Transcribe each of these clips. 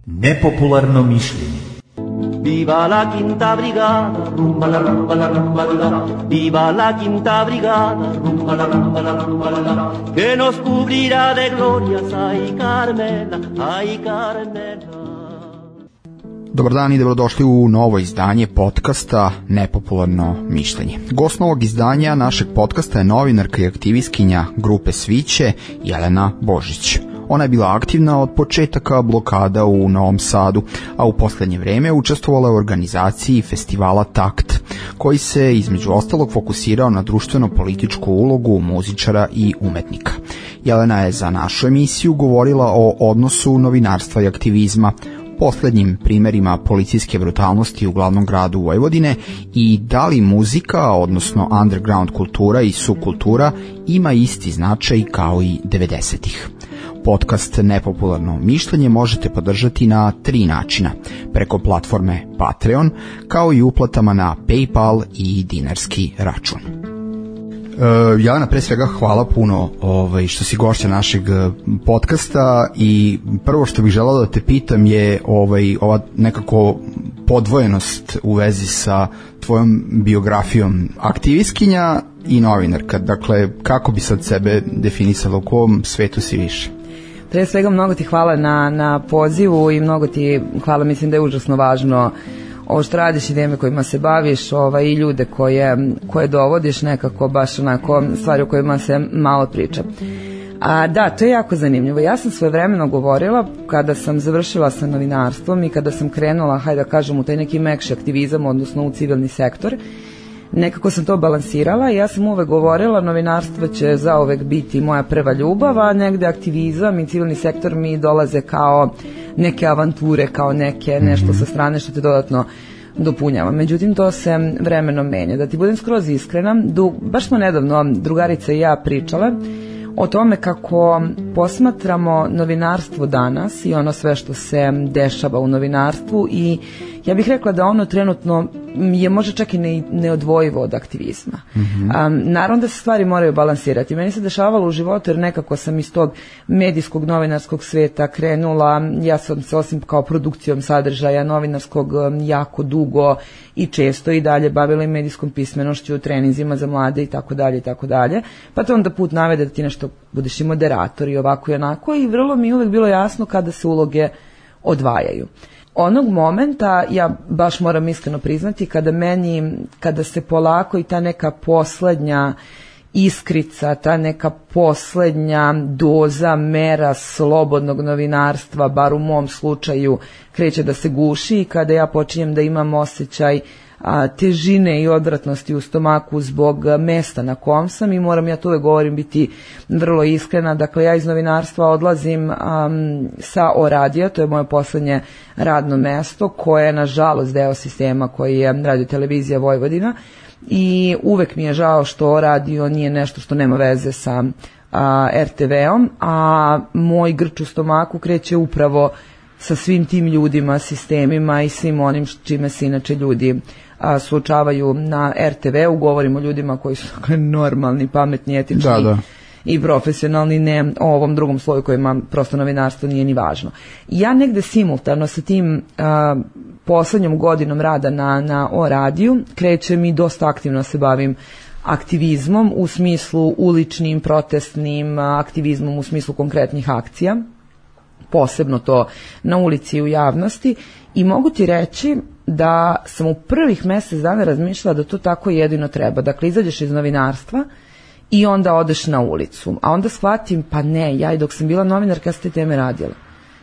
Nepopularno mišljenje. Viva la quinta brigada, rumba la rumba la rumba la. Viva la quinta brigada, rumba la rumba la rumba la. Que nos cubrirá de glorias, ay Carmela, ay Carmela. Dobar dan i dobrodošli u novo izdanje podcasta Nepopularno mišljenje. Gost novog izdanja našeg podcasta je novinarka i aktivistkinja grupe Sviće Jelena Božić. Ona je bila aktivna od početaka blokada u Novom Sadu, a u poslednje vreme učestvovala u organizaciji festivala Takt, koji se između ostalog fokusirao na društveno-političku ulogu muzičara i umetnika. Jelena je za našu emisiju govorila o odnosu novinarstva i aktivizma, poslednjim primerima policijske brutalnosti u glavnom gradu Vojvodine i da li muzika, odnosno underground kultura i subkultura, ima isti značaj kao i 90-ih. Podcast Nepopularno mišljenje možete podržati na 3 načina, preko platforme Patreon, kao i uplatama na PayPal i dinarski račun. Jelena, pre svega hvala puno što si gošća našeg podcasta i prvo što bih želao da te pitam je ova nekako podvojenost u vezi sa tvojom biografijom aktivistkinja i novinarka. Dakle, kako bi sad sebe definisala, u kom svetu si više? Pre svega mnogo ti hvala na pozivu i mnogo ti hvala, mislim da je užasno važno ovo što radiš i teme kojima se baviš i ljude koje dovodiš, nekako baš onako stvari o kojima se malo priča. Da, to je jako zanimljivo. Ja sam svojevremeno govorila kada sam završila sa novinarstvom i kada sam krenula, hajde da kažem, u taj neki mekši aktivizam, odnosno u civilni sektor. Nekako sam to balansirala i ja sam uvek govorila novinarstvo će zauvek biti moja prva ljubav, a negde aktivizam i civilni sektor mi dolaze kao neke avanture, kao nešto sa strane što te dodatno dopunjava. Međutim, to se vremenom menja. Da ti budem skroz iskrena, baš smo nedavno drugarica i ja pričale o tome kako posmatramo novinarstvo danas i ono sve što se dešava u novinarstvu i ja bih rekla da ono trenutno je možda čak i neodvojivo od aktivizma. Naravno da se stvari moraju balansirati. Meni se dešavalo u životu jer nekako sam iz tog medijskog novinarskog sveta krenula, ja sam se osim kao produkcijom sadržaja novinarskog jako dugo i često i dalje bavila i medijskom pismenošću, treninzima za mlade i tako dalje, pa to onda put navede da ti nešto budeš i moderator i ovako i onako i vrlo mi je uvek bilo jasno kada se uloge odvajaju. Onog momenta, ja baš moram iskreno priznati, kada se polako i ta neka poslednja iskrica, ta neka poslednja doza mera slobodnog novinarstva, bar u mom slučaju, kreće da se guši i kada ja počinjem da imam osjećaj težine i odvratnosti u stomaku zbog mesta na kom sam i moram, ja to uvek govorim, biti vrlo iskrena. Dakle, ja iz novinarstva odlazim sa O-radija, to je moje poslednje radno mesto koje je nažalost deo sistema koji je Radio-televizija Vojvodina i uvek mi je žao što O-radio nije nešto što nema veze sa RTV-om, a moj grč u stomaku kreće upravo sa svim tim ljudima, sistemima i svim onim čime se inače ljudi suočavaju na RTV-u. Govorimo o ljudima koji su normalni, pametni, etični i profesionalni, ne o ovom drugom sloju kojima prosto novinarstvo nije ni važno. Ja negde simultano sa tim poslednjom godinom rada na O-radiju krećem i dosta aktivno se bavim aktivizmom u smislu uličnim, protestnim, aktivizmom u smislu konkretnih akcija, posebno to na ulici i u javnosti, i mogu ti reći da sam u prvih mesec dana razmišljala da to tako jedino treba. Dakle, izađeš iz novinarstva i onda odeš na ulicu. A onda shvatim, pa ne, ja i dok sam bila novinarka ja sam te teme radila.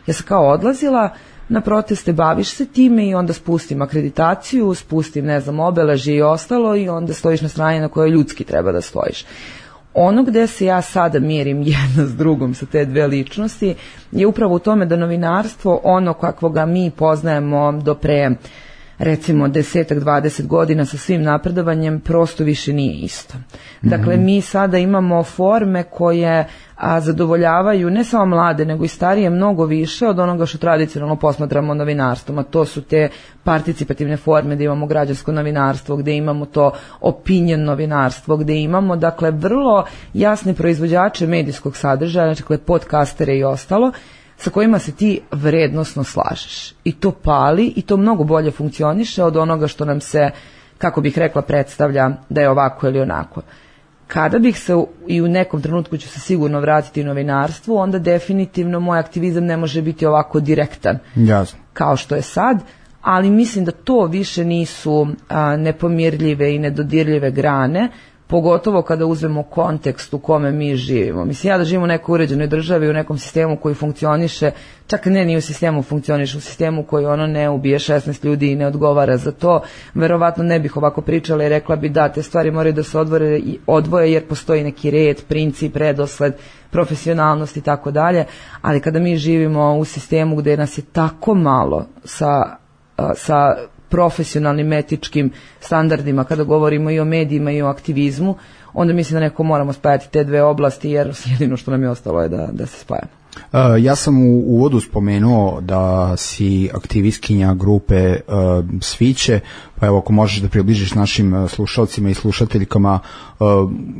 Ja sam kao odlazila na proteste, baviš se time i onda spustim akreditaciju, spustim, obeležje i ostalo i onda stojiš na strani na kojoj ljudski treba da stojiš. Ono gde se ja sada mirim jedna s drugom sa te dve ličnosti je upravo u tome da novinarstvo, ono kakvoga mi poznajemo do pre recimo 10-20 godina sa svim napredovanjem, prosto više nije isto. Dakle, mi sada imamo forme koje zadovoljavaju ne samo mlade nego i starije mnogo više od onoga što tradicionalno posmatramo novinarstvom, a to su te participativne forme, gde imamo građansko novinarstvo, gde imamo to opinion novinarstvo, gde imamo dakle vrlo jasne proizvođače medijskog sadržaja, dakle podcastere i ostalo, sa kojima se ti vrednosno slažeš. I to pali i to mnogo bolje funkcioniše od onoga što nam se, kako bih rekla, predstavlja da je ovako ili onako. Kada bih se, i u nekom trenutku ću se sigurno vratiti u novinarstvu, onda definitivno moj aktivizam ne može biti ovako direktan. Jasno. Kao što je sad, ali mislim da to više nisu nepomirljive i nedodirljive grane, pogotovo kada uzmemo kontekst u kome mi živimo. Mislim, ja da živim u nekoj uređenoj državi, u nekom sistemu koji funkcioniše, čak ne ni u sistemu funkcioniše, u sistemu koji ono ne ubije 16 ljudi i ne odgovara za to, verovatno ne bih ovako pričala i rekla bi da te stvari moraju da se odvoje jer postoji neki red, princip, redosled, profesionalnost i tako dalje, ali kada mi živimo u sistemu gde nas je tako malo sa profesionalnim etičkim standardima, kada govorimo i o medijima i o aktivizmu, onda mislim da neko moramo spajati te dve oblasti, jer jedino što nam je ostalo je da se spaja. Ja sam u uvodu spomenuo da si aktivistkinja grupe Sviće, pa evo ako možeš da približiš našim slušalcima i slušateljkama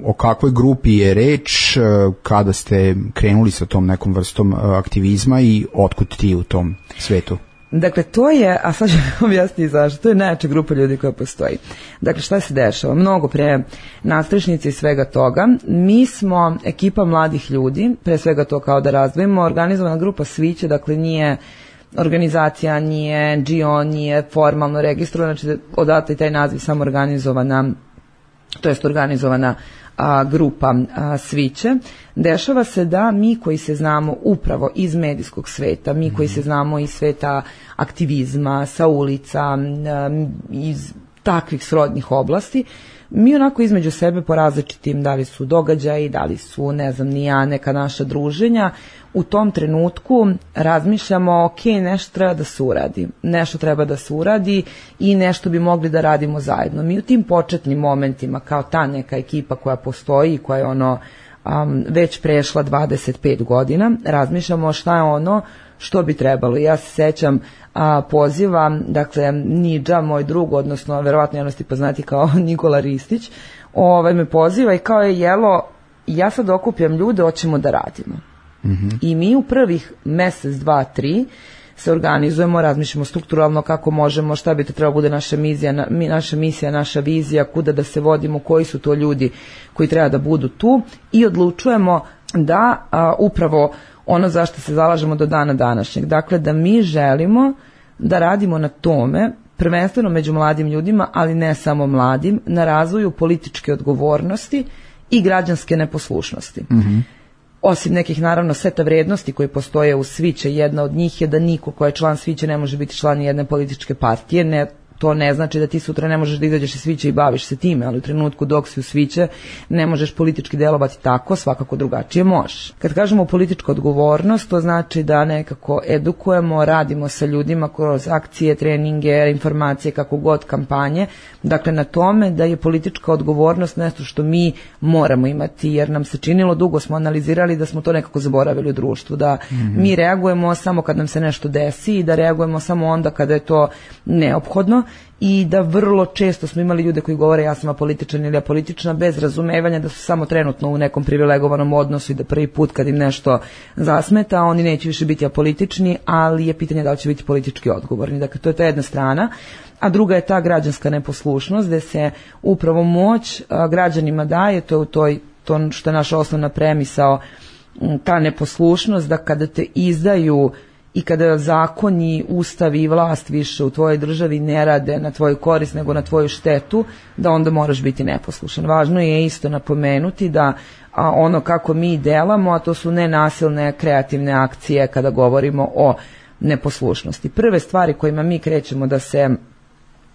o kakvoj grupi je reč, kada ste krenuli sa tom nekom vrstom aktivizma i otkud ti u tom svetu? Dakle, to je, a sad ću objasniti zašto, to je najjača grupa ljudi koja postoji. Dakle, šta se dešava? Mnogo pre nadstrešnice i svega toga. Mi smo ekipa mladih ljudi, pre svega to kao da razdvojimo, organizovana grupa Sviće, dakle nije organizacija, nije NGO, nije formalno registrovana, znači odatle taj naziv samo organizovana grupa Sviće. Dešava se da mi koji se znamo upravo iz medijskog sveta, mi koji se znamo iz sveta aktivizma, sa ulica, iz takvih srodnih oblasti, mi onako između sebe po različitim, da li su događaji, da li su, ne znam, ni ja, neka naša druženja, u tom trenutku razmišljamo, ok, nešto treba da se uradi i nešto bi mogli da radimo zajedno. Mi u tim početnim momentima, kao ta neka ekipa koja postoji, koja je već prešla 25 godina, razmišljamo šta je ono što bi trebalo. Ja se sećam poziva, dakle, Nidža, moj drug, odnosno verovatno javnosti poznati kao Nikola Ristić, me poziva i kao je jelo, ja sad okupljam ljude, hoćemo da radimo. I mi u prvih mesec, 2, 3 se organizujemo, razmišljamo strukturalno kako možemo, šta bi to trebalo bude naša misija, naša vizija, kuda da se vodimo, koji su to ljudi koji treba da budu tu i odlučujemo da upravo ono zašto se zalažemo do dana današnjeg. Dakle, da mi želimo da radimo na tome, prvenstveno među mladim ljudima, ali ne samo mladim, na razvoju političke odgovornosti i građanske neposlušnosti. Osim nekih, naravno, seta vrednosti koji postoje u Sviće, jedna od njih je da niko ko je član Sviće ne može biti član jedne političke partije. To ne znači da ti sutra ne možeš da izađeš iz Sviće i baviš se time, ali u trenutku dok si u Sviće ne možeš politički delovati tako, svakako drugačije možeš. Kad kažemo politička odgovornost, to znači da nekako edukujemo, radimo sa ljudima kroz akcije, treninge, informacije, kako god, kampanje, dakle na tome da je politička odgovornost nešto što mi moramo imati, jer nam se činilo, dugo smo analizirali da smo to nekako zaboravili u društvu, da mi reagujemo samo kad nam se nešto desi i da reagujemo samo onda kada je to neophodno, i da vrlo često smo imali ljude koji govore ja sam apolitičan ili apolitična bez razumevanja da su samo trenutno u nekom privilegovanom odnosu i da prvi put kad im nešto zasmeta oni neće više biti apolitični, ali je pitanje da li će biti politički odgovorni. Dakle, to je ta jedna strana, a druga je ta građanska neposlušnost gde se upravo moć građanima daje, to što je naša osnovna premisao, ta neposlušnost da kada te izdaju i kada zakoni, ustavi i vlast više u tvojoj državi ne rade na tvoju korist nego na tvoju štetu, da onda moraš biti neposlušan. Važno je isto napomenuti da ono kako mi delamo, a to su nenasilne kreativne akcije kada govorimo o neposlušnosti. Prve stvari kojima mi krećemo da se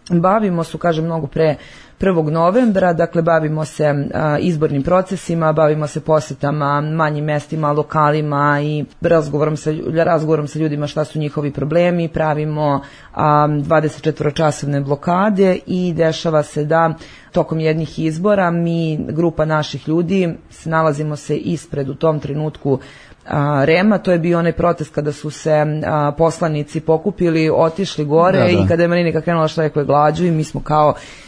Bavimo se, kažem, mnogo pre 1. novembra, dakle bavimo se izbornim procesima, bavimo se posetama manjim mestima, lokalima i razgovorom sa ljudima šta su njihovi problemi, pravimo 24-časovne blokade i dešava se da tokom jednih izbora mi, grupa naših ljudi, nalazimo se ispred u tom trenutku REM-a, to je bio onaj protest kada su se poslanici pokupili, otišli gore i kada je Marinika krenula štrajkuje glađu i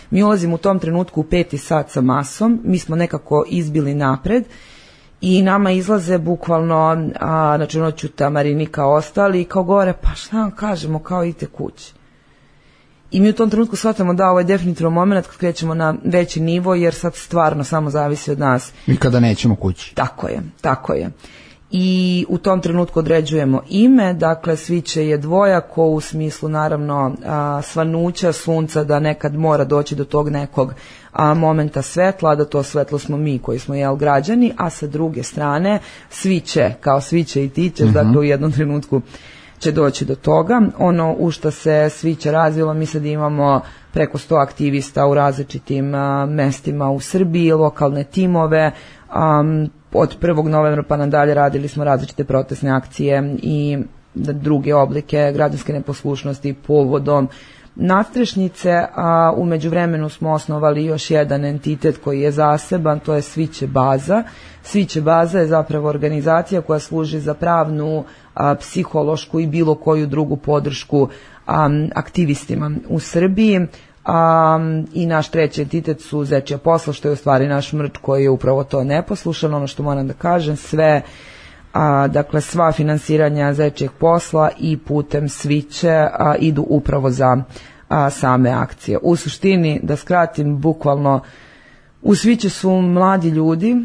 mi ulazimo u tom trenutku u 5. sat sa masom, mi smo nekako izbili napred i nama izlaze bukvalno, znači Ćuta, Marinika, ostali i kao gore, pa šta vam kažemo, kao idite kući. I mi u tom trenutku shvatamo da ovo je definitivno moment kad krećemo na veći nivo, jer sad stvarno samo zavisi od nas. I kada nećemo kući. Tako je. I u tom trenutku određujemo ime, dakle Sviće je dvojako u smislu naravno svanuća sunca, da nekad mora doći do tog nekog momenta svetla, da to svetlo smo mi koji smo građani, a sa druge strane Sviće, kao Sviće i ti ćeš, dakle u jednom trenutku će doći do toga. Ono u što se Sviće razvilo, mi sad imamo preko 100 aktivista u različitim mestima u Srbiji, lokalne timove, od 1. novembra pa nadalje radili smo različite protestne akcije i druge oblike građanske neposlušnosti povodom nadstrešnice, a u međuvremenu smo osnovali još jedan entitet koji je zaseban, to je Sviće baza. Sviće baza je zapravo organizacija koja služi za pravnu, psihološku i bilo koju drugu podršku aktivistima u Srbiji. I naš treći entitet su Zečija posla, što je u stvari naš mrč koji je upravo to neposlušan. Ono što moram da kažem, dakle sva finansiranja Zečijeg posla i putem Sviće idu upravo za same akcije. U suštini, da skratim, bukvalno u Sviće su mladi ljudi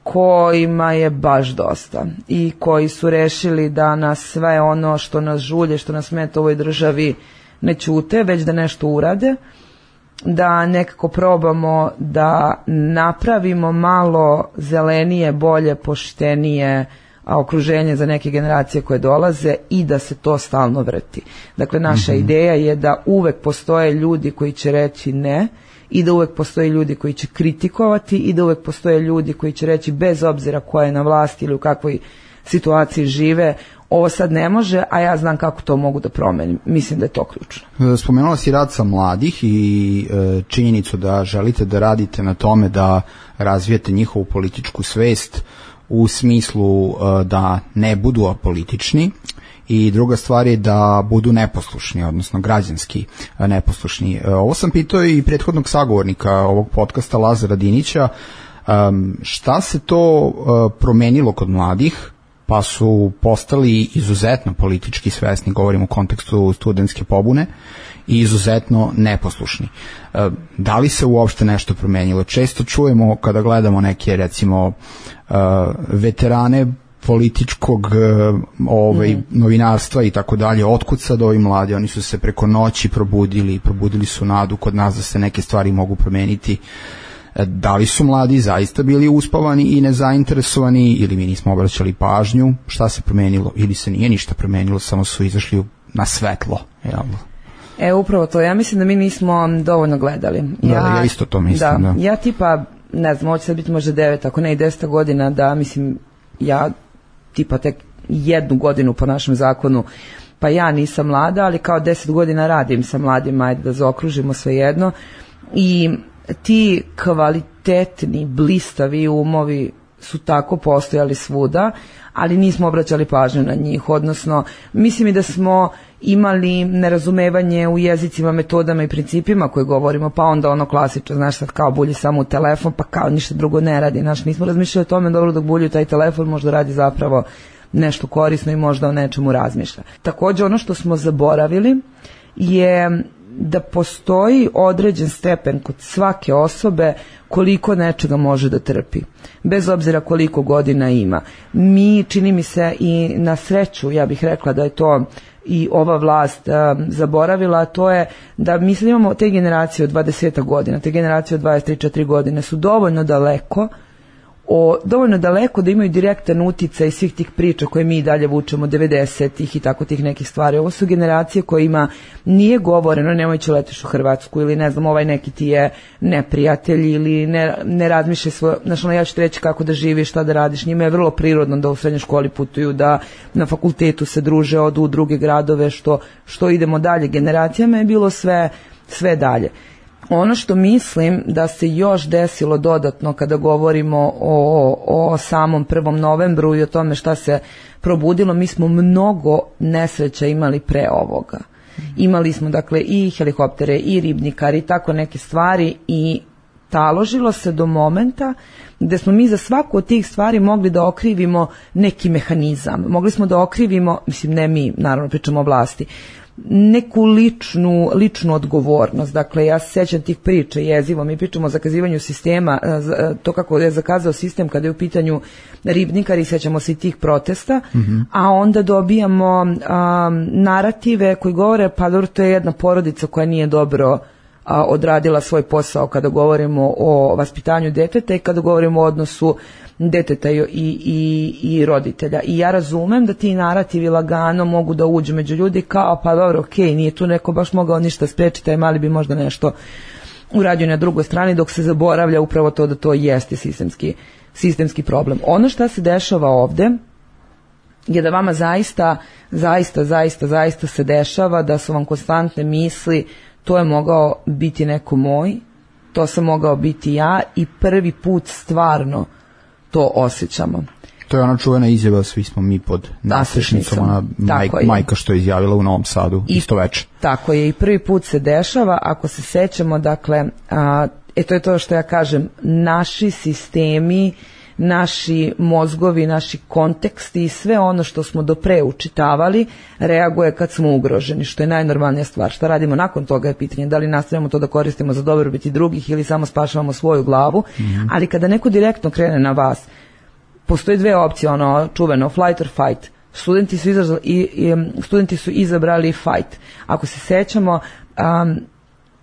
kojima je baš dosta i koji su rešili da nas sve ono što nas žulje, što nas smeta u ovoj državi ne ćute, već da nešto urade, da nekako probamo da napravimo malo zelenije, bolje, poštenije okruženje za neke generacije koje dolaze i da se to stalno vrti. Dakle, naša ideja je da uvek postoje ljudi koji će reći ne i da uvek postoje ljudi koji će kritikovati i da uvek postoje ljudi koji će reći bez obzira ko je na vlasti ili u kakvoj situaciji žive, ovo sad ne može, a ja znam kako to mogu da promenim. Mislim da je to ključno. Spomenula si rad sa mladih i činjenicu da želite da radite na tome da razvijete njihovu političku svest u smislu da ne budu apolitični, i druga stvar je da budu neposlušni, odnosno građanski neposlušni. Ovo sam pitao i prethodnog sagovornika ovog podcasta, Lazara Dinića, šta se to promenilo kod mladih pa su postali izuzetno politički svesni, govorimo u kontekstu studentske pobune, i izuzetno neposlušni. Da li se uopšte nešto promenilo? Često čujemo kada gledamo neke, recimo, veterane političkog novinarstva i tako dalje, otkud sad ovi mladi, oni su se preko noći probudili su nadu kod nas da se neke stvari mogu promeniti. Da li su mladi zaista bili uspavani i nezainteresovani, ili mi nismo obraćali pažnju, šta se promenilo, ili se nije ništa promenilo, samo su izašli na svetlo, jel? Upravo to, ja mislim da mi nismo dovoljno gledali. Ja isto to mislim, da. Ja tipa, ne znam, ovo će sad biti možda 9, ako ne i 10 godina, da mislim, ja tipa tek 1 godinu po našem zakonu, pa ja nisam mlada, ali kao 10 godina radim sa mladima, ajde da zaokružimo sve jedno, i ti kvalitetni, blistavi umovi su tako postojali svuda, ali nismo obraćali pažnju na njih, odnosno mislim i da smo imali nerazumevanje u jezicima, metodama i principima koje govorimo, pa onda ono klasično, znaš, sad kao bulji samo u telefon, pa kao ništa drugo ne radi, znaš, nismo razmišljali o tome, dobro, dok bulju taj telefon možda radi zapravo nešto korisno i možda o nečemu razmišlja. Također ono što smo zaboravili je da postoji određen stepen kod svake osobe koliko nečega može da trpi, bez obzira koliko godina ima. Mi, čini mi se, i na sreću, ja bih rekla da je to i ova vlast zaboravila, a to je da mi sad imamo te generacije od 20 godina, te generacije od 23-4 godine su dovoljno daleko dovoljno daleko da imaju direktan uticaj svih tih priča koje mi dalje vučemo 90-ih i tako tih nekih stvari. Ovo su generacije kojima nije govoreno nemoj će letiš u Hrvatsku ili ne znam ovaj neki ti je neprijatelj ili ne razmišljaj svoje, znači ja ću reći kako da živiš, šta da radiš. Njima je vrlo prirodno da u srednjoj školi putuju, da na fakultetu se druže, odu u druge gradove, što idemo dalje. Generacijama je bilo sve dalje. Ono što mislim da se još desilo dodatno kada govorimo o samom 1. novembru i o tome šta se probudilo, mi smo mnogo nesreća imali pre ovoga. Imali smo dakle i helikoptere i ribnikari i tako neke stvari i taložilo se do momenta gde smo mi za svaku od tih stvari mogli da okrivimo neki mehanizam. Mogli smo da okrivimo, mislim ne mi, naravno pričamo o vlasti, neku ličnu odgovornost. Dakle, ja se sećam tih priča jezivo, mi pričamo o zakazivanju sistema, to kako je zakazao sistem kada je u pitanju ribnikari, sećamo se i tih protesta, a onda dobijamo narative koji govore, pa dobro, to je jedna porodica koja nije dobro odradila svoj posao kada govorimo o vaspitanju deteta i kada govorimo o odnosu deteta i roditelja. I ja razumem da ti narativi lagano mogu da uđu među ljudi kao pa dobro, okej, nije tu neko baš mogao ništa sprečiti, taj mali bi možda nešto uradio na drugoj strani, dok se zaboravlja upravo to da to jeste sistemski problem. Ono što se dešava ovde je da vama zaista se dešava da su vam konstantne misli to je mogao biti neko moj, to sam mogao biti ja i prvi put stvarno to osjećamo. To je ona čuvena izjava, svi smo mi pod nasrešnicom, ona majka što je izjavila u Novom Sadu isto veče. Tako je, i prvi put se dešava, ako se sećamo, dakle, to je to što ja kažem, naši sistemi, naši mozgovi, naši konteksti i sve ono što smo do pre učitavali reaguje kad smo ugroženi, što je najnormalnija stvar. Šta radimo nakon toga je pitanje, da li nastavljamo to da koristimo za dobrobit drugih ili samo spašavamo svoju glavu, ali kada neko direktno krene na vas, postoje dve opcije, ono čuveno flight or fight. Studenti su izabrali fight. Ako se sećamo,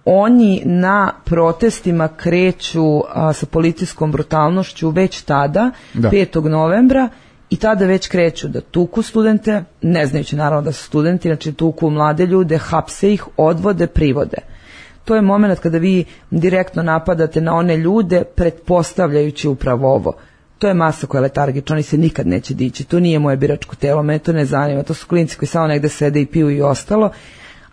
oni na protestima kreću sa policijskom brutalnošću već tada, 5. novembra, i tada već kreću da tuku studente, ne znajući naravno da su studenti, znači tuku mlade ljude, hapse ih, odvode, privode. To je moment kada vi direktno napadate na one ljude, pretpostavljajući upravo ovo. To je masa koja je letargična, oni se nikad neće dići, to nije moje biračko telo, mene to ne zanima, to su klinci koji samo negde sede i piju i ostalo,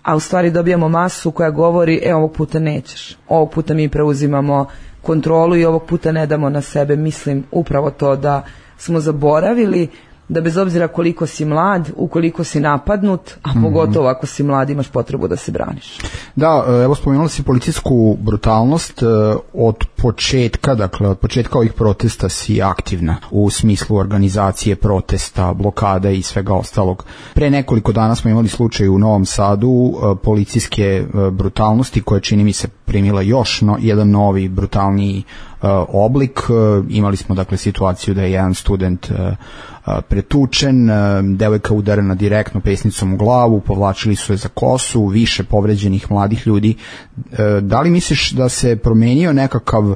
a u stvari dobijamo masu koja govori, ovog puta nećeš, ovog puta mi preuzimamo kontrolu i ovog puta ne damo na sebe. Mislim upravo to da smo zaboravili da bez obzira koliko si mlad, ukoliko si napadnut, a pogotovo ako si mlad, imaš potrebu da se braniš. Da, evo spomenula si policijsku brutalnost od početka, dakle od početka ovih protesta si aktivna u smislu organizacije protesta, blokada i svega ostalog. Pre nekoliko dana smo imali slučaj u Novom Sadu policijske brutalnosti koja čini mi se primila još jedan novi brutalniji oblik. Imali smo dakle situaciju da je jedan student pretučen, devojka udarena direktno pesnicom u glavu, povlačili su je za kosu, više povređenih mladih ljudi. Da li misliš da se promenio nekakav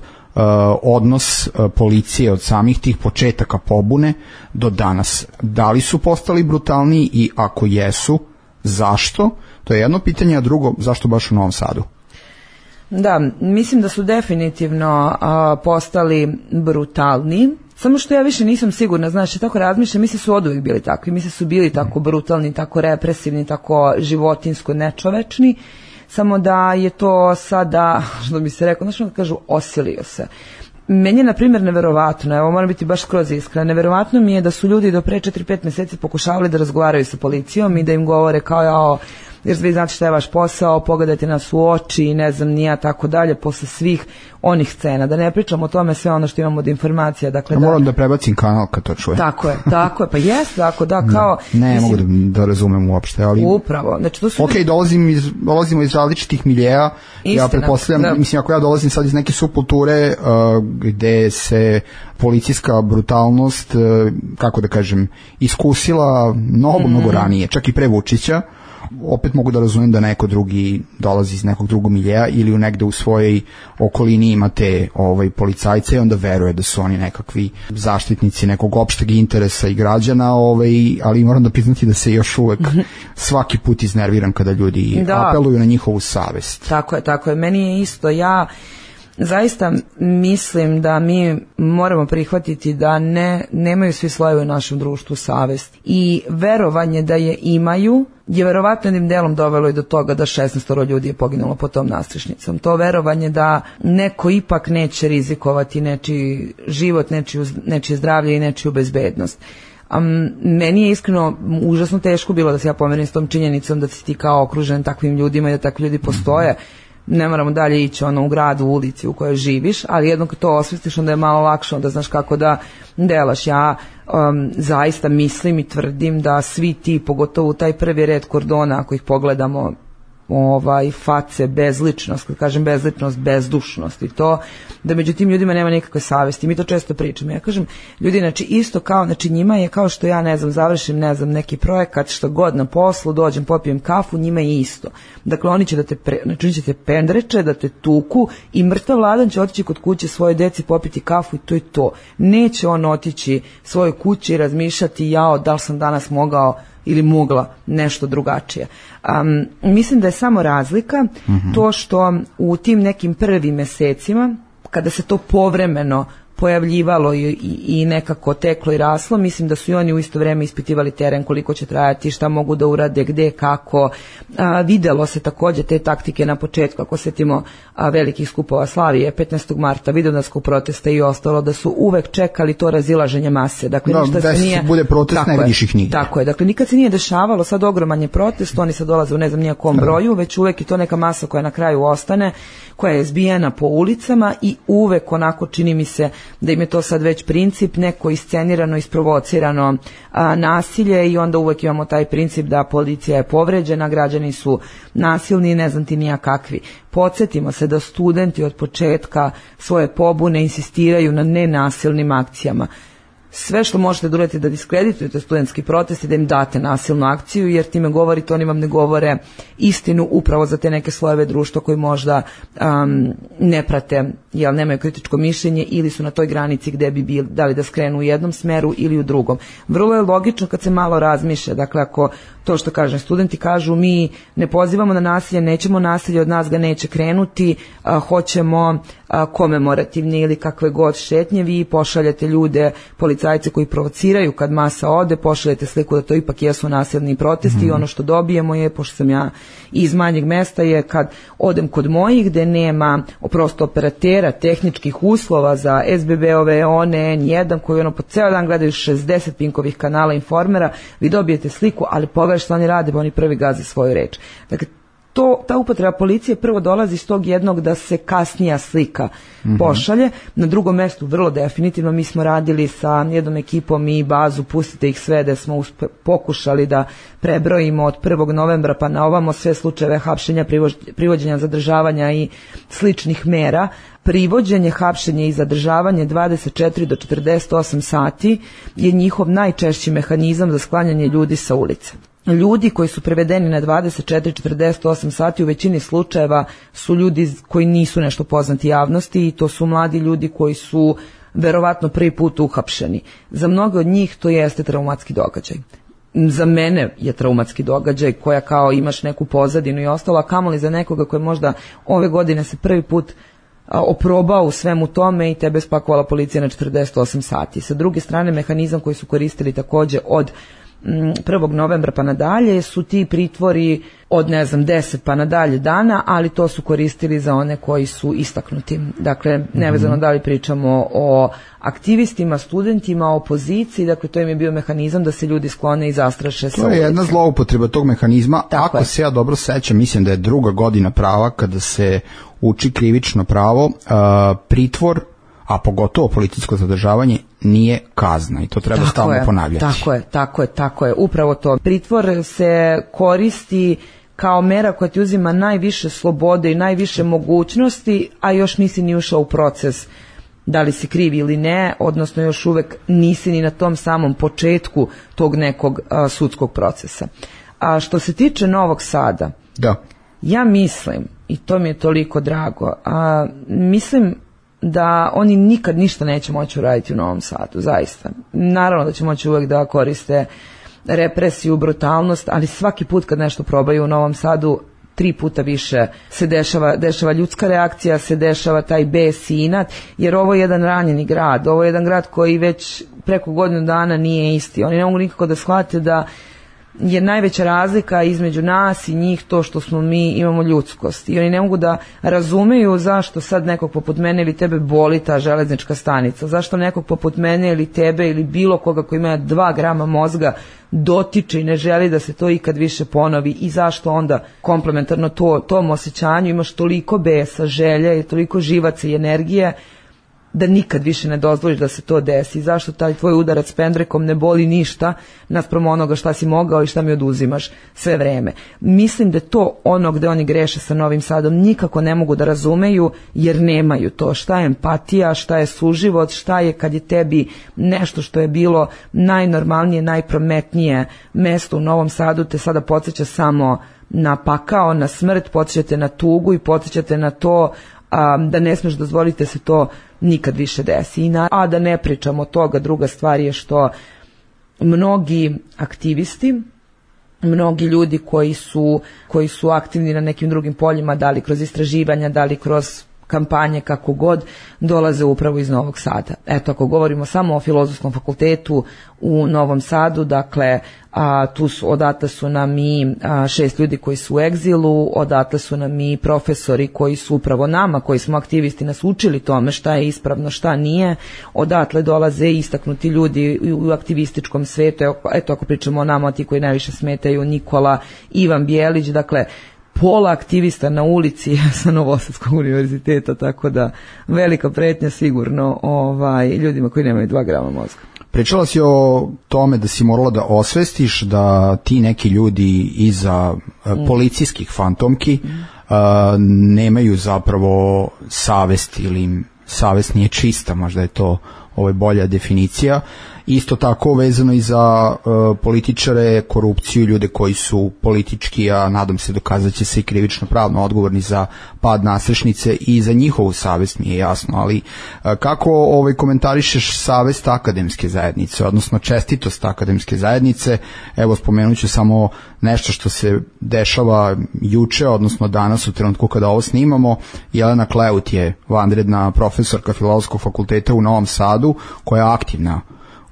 odnos policije od samih tih početaka pobune do danas? Da li su postali brutalniji i ako jesu, zašto? To je jedno pitanje, a drugo, zašto baš u Novom Sadu? Da, mislim da su definitivno postali brutalni, samo što ja više nisam sigurna, znaš, tako razmišljam, misle su oduvijek bili takvi, misle su bili tako brutalni, tako represivni, tako životinjsko nečovečni, samo da je to sada, što bi se rekao, znači da kažu, osilio se. Meni je, na primjer, neverovatno, evo moram biti baš skroz iskrena, neverovatno mi je da su ljudi do pre 4-5 meseci pokušavali da razgovaraju sa policijom i da im govore kao jer vi znate šta je vaš posao, pogledajte nas u oči i ne znam nija tako dalje, posle svih onih scena. Da ne pričam o tome sve ono što imamo od informacija. Dakle, moram da prebacim kanal kad to čujem. Tako je, pa jest, tako da, kao... Ne mogu da razumem uopšte, ali... Upravo, znači to su... Ok, dolazimo iz različitih miljeja, ja pretpostavljam, mislim, ako ja dolazim sad iz neke subkulture gde se policijska brutalnost, kako da kažem, iskusila mnogo ranije, čak i pre Vučića, opet mogu da razumem da neko drugi dolazi iz nekog drugog miljeja ili negde u svojoj okolini imate policajce i onda veruje da su oni nekakvi zaštitnici nekog opšteg interesa i građana, ali moram da priznati da se još uvek svaki put iznerviram kada ljudi apeluju na njihovu savest. Tako je. Meni je isto, ja zaista mislim da mi moramo prihvatiti da nemaju svi slojevi u našem društvu savest i verovanje da je imaju je verovatno jednim delom dovelo i do toga da 16 ljudi je poginulo pod tom nastrešnicom. To verovanje da neko ipak neće rizikovati nečiji život, nečije zdravlje i nečiju bezbednost. Meni je iskreno užasno teško bilo da se ja pomerim s tom činjenicom da si ti kao okružen takvim ljudima i da takvi ljudi postoje. Ne moramo dalje ići u gradu, u ulici u kojoj živiš, ali jednom kad to osvestiš onda je malo lakše, onda znaš kako da delaš. Ja zaista mislim i tvrdim da svi ti, pogotovo taj prvi red kordona, ako ih pogledamo, face, bezličnost, kad kažem bezličnost, bezdušnost i to, da među tim ljudima nema nikakve savesti. Mi to često pričamo. Ja kažem, ljudi, znači isto kao, znači njima je kao što ja, završim, neki projekat, što god na poslu, dođem, popijem kafu, njima je isto. Dakle, oni će oni će te pendreče, da te tuku i mrtav ladan će otići kod kuće svoje deci, popiti kafu i to je to. Neće on otići svojoj kući i razmišljati, da li sam danas mogao ili mogla nešto drugačije. Mislim da je samo razlika to što u tim nekim prvim mesecima, kada se to povremeno pojavljivalo i nekako teklo i raslo, mislim da su i oni u isto vreme ispitivali teren, koliko će trajati, šta mogu da urade, gde, kako. Videlo se takođe te taktike na početku, ako setimo velikih skupova Slavije, 15. marta, vidovdanskog protesta i ostalo, da su uvek čekali to razilaženje mase. Dakle, ništa se nije... bude protest, ne vidiš ih nigde. Tako je, dakle, nikad se nije dešavalo, sad ogroman je protest, oni sad dolaze u ne znam nijakom broju, već uvek i to neka masa koja na kraju ostane, koja je zbijena po ulicama i uvek onako čini mi se da im je to sad već princip, neko iscenirano, isprovocirano nasilje i onda uvek imamo taj princip da policija je povređena, građani su nasilni, ne znam ti nija kakvi. Podsjetimo se da studenti od početka svoje pobune insistiraju na nenasilnim akcijama. Sve što možete da uradite da diskreditujete studentski protest i da im date nasilnu akciju, jer time govorite, oni vam ne govore istinu upravo za te neke slojeve društva koji možda ne prate, jer nemaju kritičko mišljenje ili su na toj granici gde bi bili, da li da skrenu u jednom smeru ili u drugom. Vrlo je logično kad se malo razmišlja, dakle ako to što kažem, studenti kažu mi ne pozivamo na nasilje, nećemo nasilje, od nas ga neće krenuti, hoćemo komemorativne ili kakve god šetnje, vi pošaljete ljude, policajce koji provociraju kad masa ode, pošaljete sliku da to ipak jesu nasilni protesti i ono što dobijemo je, pošto sam ja iz manjeg mesta, je kad odem kod mojih gde nema prosto operatera, tehničkih uslova za SBB-ove, one, N1 koji po ceo dan gledaju 60 Pinkovih kanala Informera, vi dobijete sliku, ali pogledaj što oni rade, oni prvi gaze svoju reč. Dakle, ta upotreba policije prvo dolazi iz tog jednog da se kasnija slika pošalje. Na drugom mestu vrlo definitivno mi smo radili sa jednom ekipom i bazu Pustite ih sve, da smo pokušali da prebrojimo od 1. novembra pa na ovamo sve slučajeve hapšenja, privođenja, zadržavanja i sličnih mera. Privođenje, hapšenje i zadržavanje 24 do 48 sati je njihov najčešći mehanizam za sklanjanje ljudi sa ulice. Ljudi koji su prevedeni na 24-48 sati u većini slučajeva su ljudi koji nisu nešto poznati javnosti i to su mladi ljudi koji su verovatno prvi put uhapšeni. Za mnoge od njih to jeste traumatski događaj. Za mene je traumatski događaj koja kao imaš neku pozadinu i ostalo, a kamoli za nekoga koji možda ove godine se prvi put oprobao u svemu tome i tebe spakovala policija na 48 sati. Sa druge strane, mehanizam koji su koristili takođe od 1. novembra pa nadalje su ti pritvori od 10 pa nadalje dana, ali to su koristili za one koji su istaknuti. Dakle, nevezano da li pričamo o aktivistima, studentima, opoziciji, dakle to im je bio mehanizam da se ljudi sklone i zastraše sa ulice. To je jedna zloupotreba tog mehanizma. Ako se ja dobro sećam, mislim da je 2. godina prava kada se uči krivično pravo, pritvor, a pogotovo policijsko zadržavanje, nije kazna i to treba stalno ponavljati. Tako je, upravo to. Pritvor se koristi kao mera koja ti uzima najviše slobode i najviše mogućnosti, a još nisi ni ušao u proces da li si kriv ili ne, odnosno još uvek nisi ni na tom samom početku tog nekog sudskog procesa. A što se tiče Novog Sada, Da. ja mislim, i to mi je toliko drago, mislim da oni nikad ništa neće moći uraditi u Novom Sadu, zaista. Naravno da će moći uvek da koriste represiju, brutalnost, ali svaki put kad nešto probaju u Novom Sadu, 3 puta više se dešava ljudska reakcija, se dešava taj bes i inat, jer ovo je jedan ranjeni grad, ovo je jedan grad koji već preko godinu dana nije isti. Oni ne mogu nikako da shvate da je najveća razlika između nas i njih to što smo mi imamo ljudskost. I oni ne mogu da razumeju zašto sad nekog poput mene ili tebe boli ta železnička stanica. Zašto nekog poput mene ili tebe ili bilo koga koji ima 2 grama mozga dotiče i ne želi da se to ikad više ponovi i zašto onda komplementarno tom osjećanju imaš toliko besa, želje i toliko živaca i energije da nikad više ne dozvoliš da se to desi. Zašto taj tvoj udarac pendrekom ne boli ništa naspram onoga šta si mogao i šta mi oduzimaš sve vreme. Mislim da to ono gde oni greše sa Novim Sadom nikako ne mogu da razumeju jer nemaju to. Šta je empatija, šta je suživot, šta je kad je tebi nešto što je bilo najnormalnije, najprometnije mesto u Novom Sadu te sada podsjeća samo na pakao, na smrt, podsjećate na tugu i podsjećate na to da ne smeš dozvoliti se to nikad više desi. A da ne pričamo od toga, druga stvar je što mnogi aktivisti, mnogi ljudi koji su aktivni na nekim drugim poljima, da li kroz istraživanja, da li kroz kampanje, kako god, dolaze upravo iz Novog Sada. Eto, ako govorimo samo o Filozofskom fakultetu u Novom Sadu, dakle, odatle su nam i 6 ljudi koji su u egzilu, odatle su nam i profesori koji su upravo nama, koji smo aktivisti, nas učili tome šta je ispravno, šta nije, odatle dolaze istaknuti ljudi u aktivističkom svetu, eto, ako pričamo o nama, ti koji najviše smetaju, Nikola, Ivan Bjelić, dakle, pola aktivista na ulici sa Novosadskog univerziteta, tako da velika pretnja sigurno ljudima koji nemaju 2 grama mozga. Pričala si o tome da si morala da osvestiš da ti neki ljudi iza policijskih fantomki nemaju zapravo savest ili im savest nije čista, možda je to bolja definicija. Isto tako vezano i za političare, korupciju, ljude koji su politički, a nadam se dokazat će se i krivično pravno odgovorni za pad nasrešnice i za njihovu savest mi je jasno, ali kako komentarišeš savest akademske zajednice, odnosno čestitost akademske zajednice? Evo, spomenut ću samo nešto što se dešava juče, odnosno danas u trenutku kada ovo snimamo. Jelena Kleut je vanredna profesorka Filozofskog fakulteta u Novom Sadu, koja je aktivna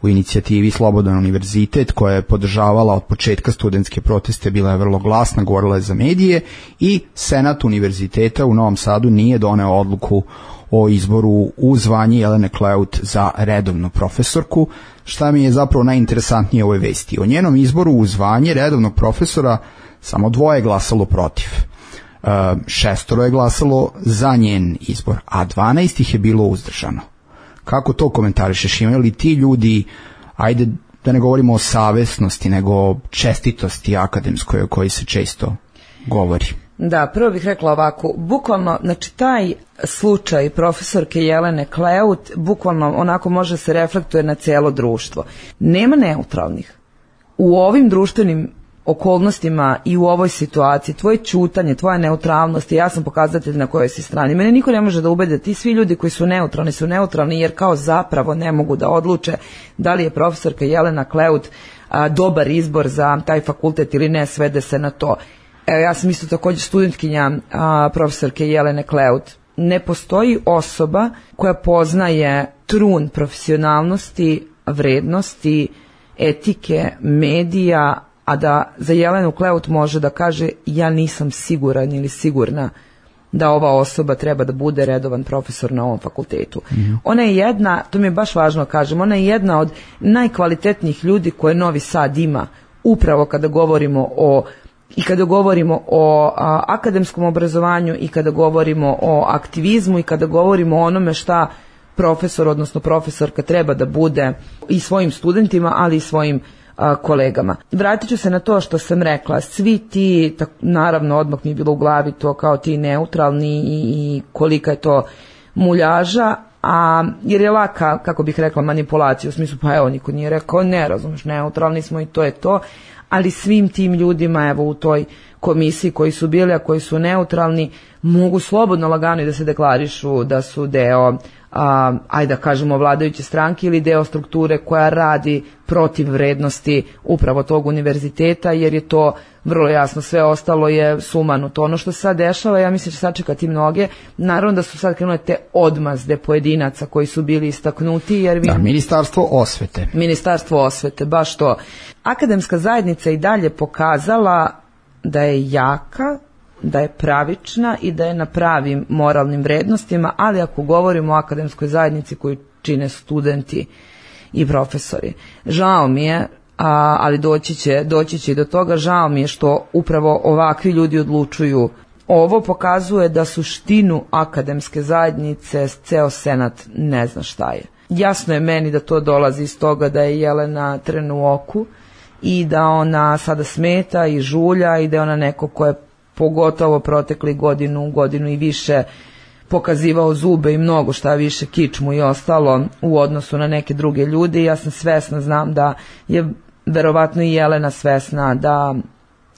u inicijativi Slobodan univerzitet, koja je podržavala od početka studentske proteste, bila je vrlo glasna, govorila je za medije, i Senat univerziteta u Novom Sadu nije doneo odluku o izboru u zvanje Jelene Kleut za redovnu profesorku. Šta mi je zapravo najinteresantnije u ovoj vesti? O njenom izboru u zvanje redovnog profesora samo 2 je glasalo protiv. 6 je glasalo za njen izbor, a 12 ih je bilo uzdržano. Kako to komentarišeš? Imaju li ti ljudi, ajde da ne govorimo o savesnosti, nego o čestitosti akademskoj o kojoj se često govori? Da, prvo bih rekla ovako, bukvalno, znači taj slučaj profesorke Jelene Kleut bukvalno onako može se reflektuje na cijelo društvo. Nema neutralnih. U ovim društvenim okolnostima i u ovoj situaciji, tvoje ćutanje, tvoja neutralnost, i ja sam pokazatelj na kojoj si strani. Mene niko ne može da ubede, ti svi ljudi koji su neutralni jer kao zapravo ne mogu da odluče da li je profesorka Jelena Kleut dobar izbor za taj fakultet ili ne, svede se na to. Evo, ja sam isto također studentkinja profesorke Jelene Kleut. Ne postoji osoba koja poznaje trun profesionalnosti, vrednosti, etike, medija, a da za Jelenu Kleut može da kaže ja nisam siguran ili sigurna da ova osoba treba da bude redovan profesor na ovom fakultetu. Ona je jedna, to mi je baš važno kažem, ona je jedna od najkvalitetnijih ljudi koje Novi Sad ima, upravo kada govorimo o akademskom obrazovanju i kada govorimo o aktivizmu i kada govorimo o onome šta profesor, odnosno profesorka treba da bude i svojim studentima, ali i svojim kolegama. Vratit ću se na to što sam rekla, svi ti, naravno odmah mi je bilo u glavi to kao ti neutralni i kolika je to muljaža, jer je laka, kako bih rekla, manipulacija, u smislu pa evo niko nije rekao ne, razumeš, neutralni smo i to je to, ali svim tim ljudima evo u toj komisiji koji su bili, a koji su neutralni, mogu slobodno lagano i da se deklarišu da su deo ajde da kažemo vladajuće stranke ili deo strukture koja radi protiv vrednosti upravo tog univerziteta, jer je to vrlo jasno, sve ostalo je sumanuto. Ono što se sad dešava, ja mislim da će sačekati mnoge, naravno da su sad krenule te odmazde pojedinaca koji su bili istaknuti, jer Ministarstvo osvete, baš to. Akademska zajednica i dalje pokazala da je jaka, da je pravična i da je na pravim moralnim vrednostima, ali ako govorimo o akademskoj zajednici koju čine studenti i profesori. Žao mi je, ali doći će i do toga, žao mi je što upravo ovakvi ljudi odlučuju. Ovo pokazuje da suštinu akademske zajednice ceo senat ne zna šta je. Jasno je meni da to dolazi iz toga da je Jelena trn u oku i da ona sada smeta i žulja i da je ona neko ko je pogotovo protekli godinu i više pokazivao zube i mnogo šta više, kičmu i ostalo u odnosu na neke druge ljude. Ja sam svesna, znam da je verovatno i Jelena svesna da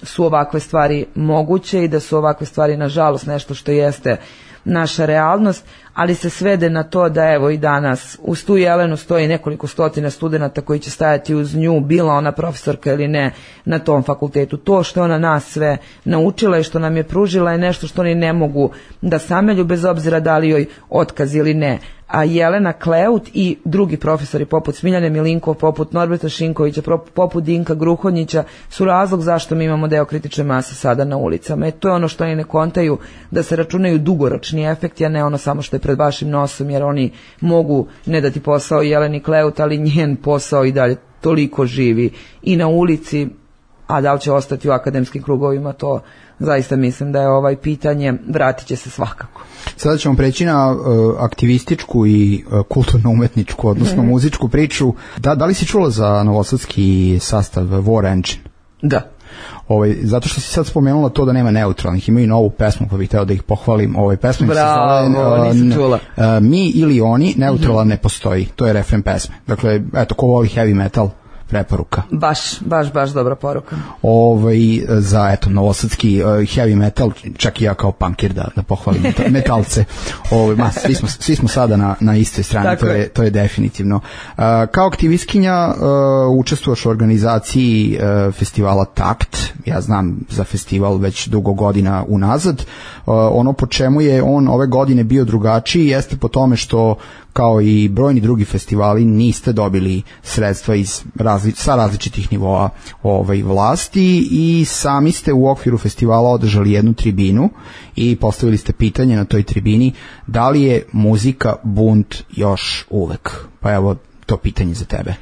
su ovakve stvari moguće i da su ovakve stvari nažalost nešto što jeste naša realnost, ali se svede na to da evo i danas uz tu Jelenu stoji nekoliko stotina studenata koji će stajati uz nju, bila ona profesorka ili ne na tom fakultetu. To što ona nas sve naučila i što nam je pružila je nešto što oni ne mogu da samelju, bez obzira da li joj otkaz ili ne. A Jelena Kleut i drugi profesori poput Smiljane Milinkov, poput Norberta Šinkovića, poput Dinka Gruhonjića su razlog zašto mi imamo deo kritične mase sada na ulicama. To je ono što oni ne kontaju, da se računaju dugoročni efekti, a ne ono samo što je pred vašim nosom, jer oni mogu ne dati posao Jeleni Kleut, ali njen posao i dalje toliko živi i na ulici, a da li će ostati u akademskim krugovima, to zaista mislim da je pitanje, vratit će se svakako. Sada ćemo preći na aktivističku i kulturno-umetničku, odnosno muzičku priču. Da li si čula za novosadski sastav War Engine? Da. Zato što si sad spomenula to da nema neutralnih, imaju novu pesmu, pa bih hteo da ih pohvalim. Pesma se zove nisam čula. Mi ili oni, neutralan ne postoji. To je refren pesme. Dakle, eto, ko voli heavy metal, preporuka. Baš dobra poruka. Za eto novosadski heavy metal, čak i ja kao punkir da pohvalim metalce. Svi smo sada na istoj strani, to je definitivno. Kao aktivistkinja učestvuješ u organizaciji festivala Takt. Ja znam za festival već dugo godina unazad. Ono po čemu je on ove godine bio drugačiji jeste po tome što kao i brojni drugi festivali niste dobili sredstva sa različitih nivoa vlasti i sami ste u okviru festivala održali jednu tribinu i postavili ste pitanje na toj tribini da li je muzika bunt još uvek. Pa evo to pitanje za tebe.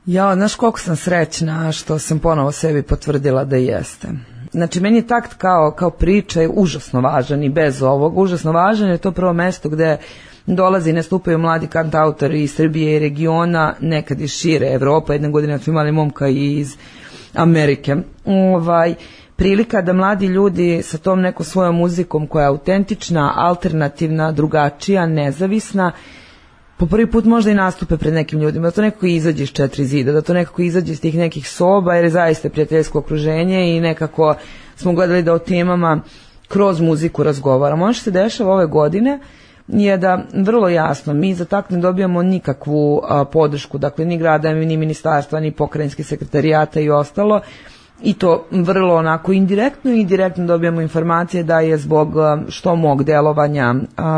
Ja, znaš koliko sam srećna što sam ponovo sebi potvrdila da jeste. Znači, meni je Takt kao priča je užasno važan i bez ovog. Užasno važan je to prvo mesto gde dolazi i nastupaju mladi kantautori iz Srbije i regiona, nekad iz šire Evropa, jedne godine smo imali momka i iz Amerike. Prilika da mladi ljudi sa tom nekom svojom muzikom koja je autentična, alternativna, drugačija, nezavisna, po prvi put možda i nastupe pred nekim ljudima, da to nekako izađe iz četiri zida, da to nekako izađe iz tih nekih soba, jer je zaista prijateljsko okruženje i nekako smo gledali da o temama kroz muziku razgovaramo. Ono što se dešava ove godine je da vrlo jasno mi za Takt ne dobijamo nikakvu podršku, dakle ni grada, ni ministarstva, ni pokrajinskih sekretarijata i ostalo, i to vrlo onako indirektno i direktno dobijamo informacije da je zbog što mog delovanja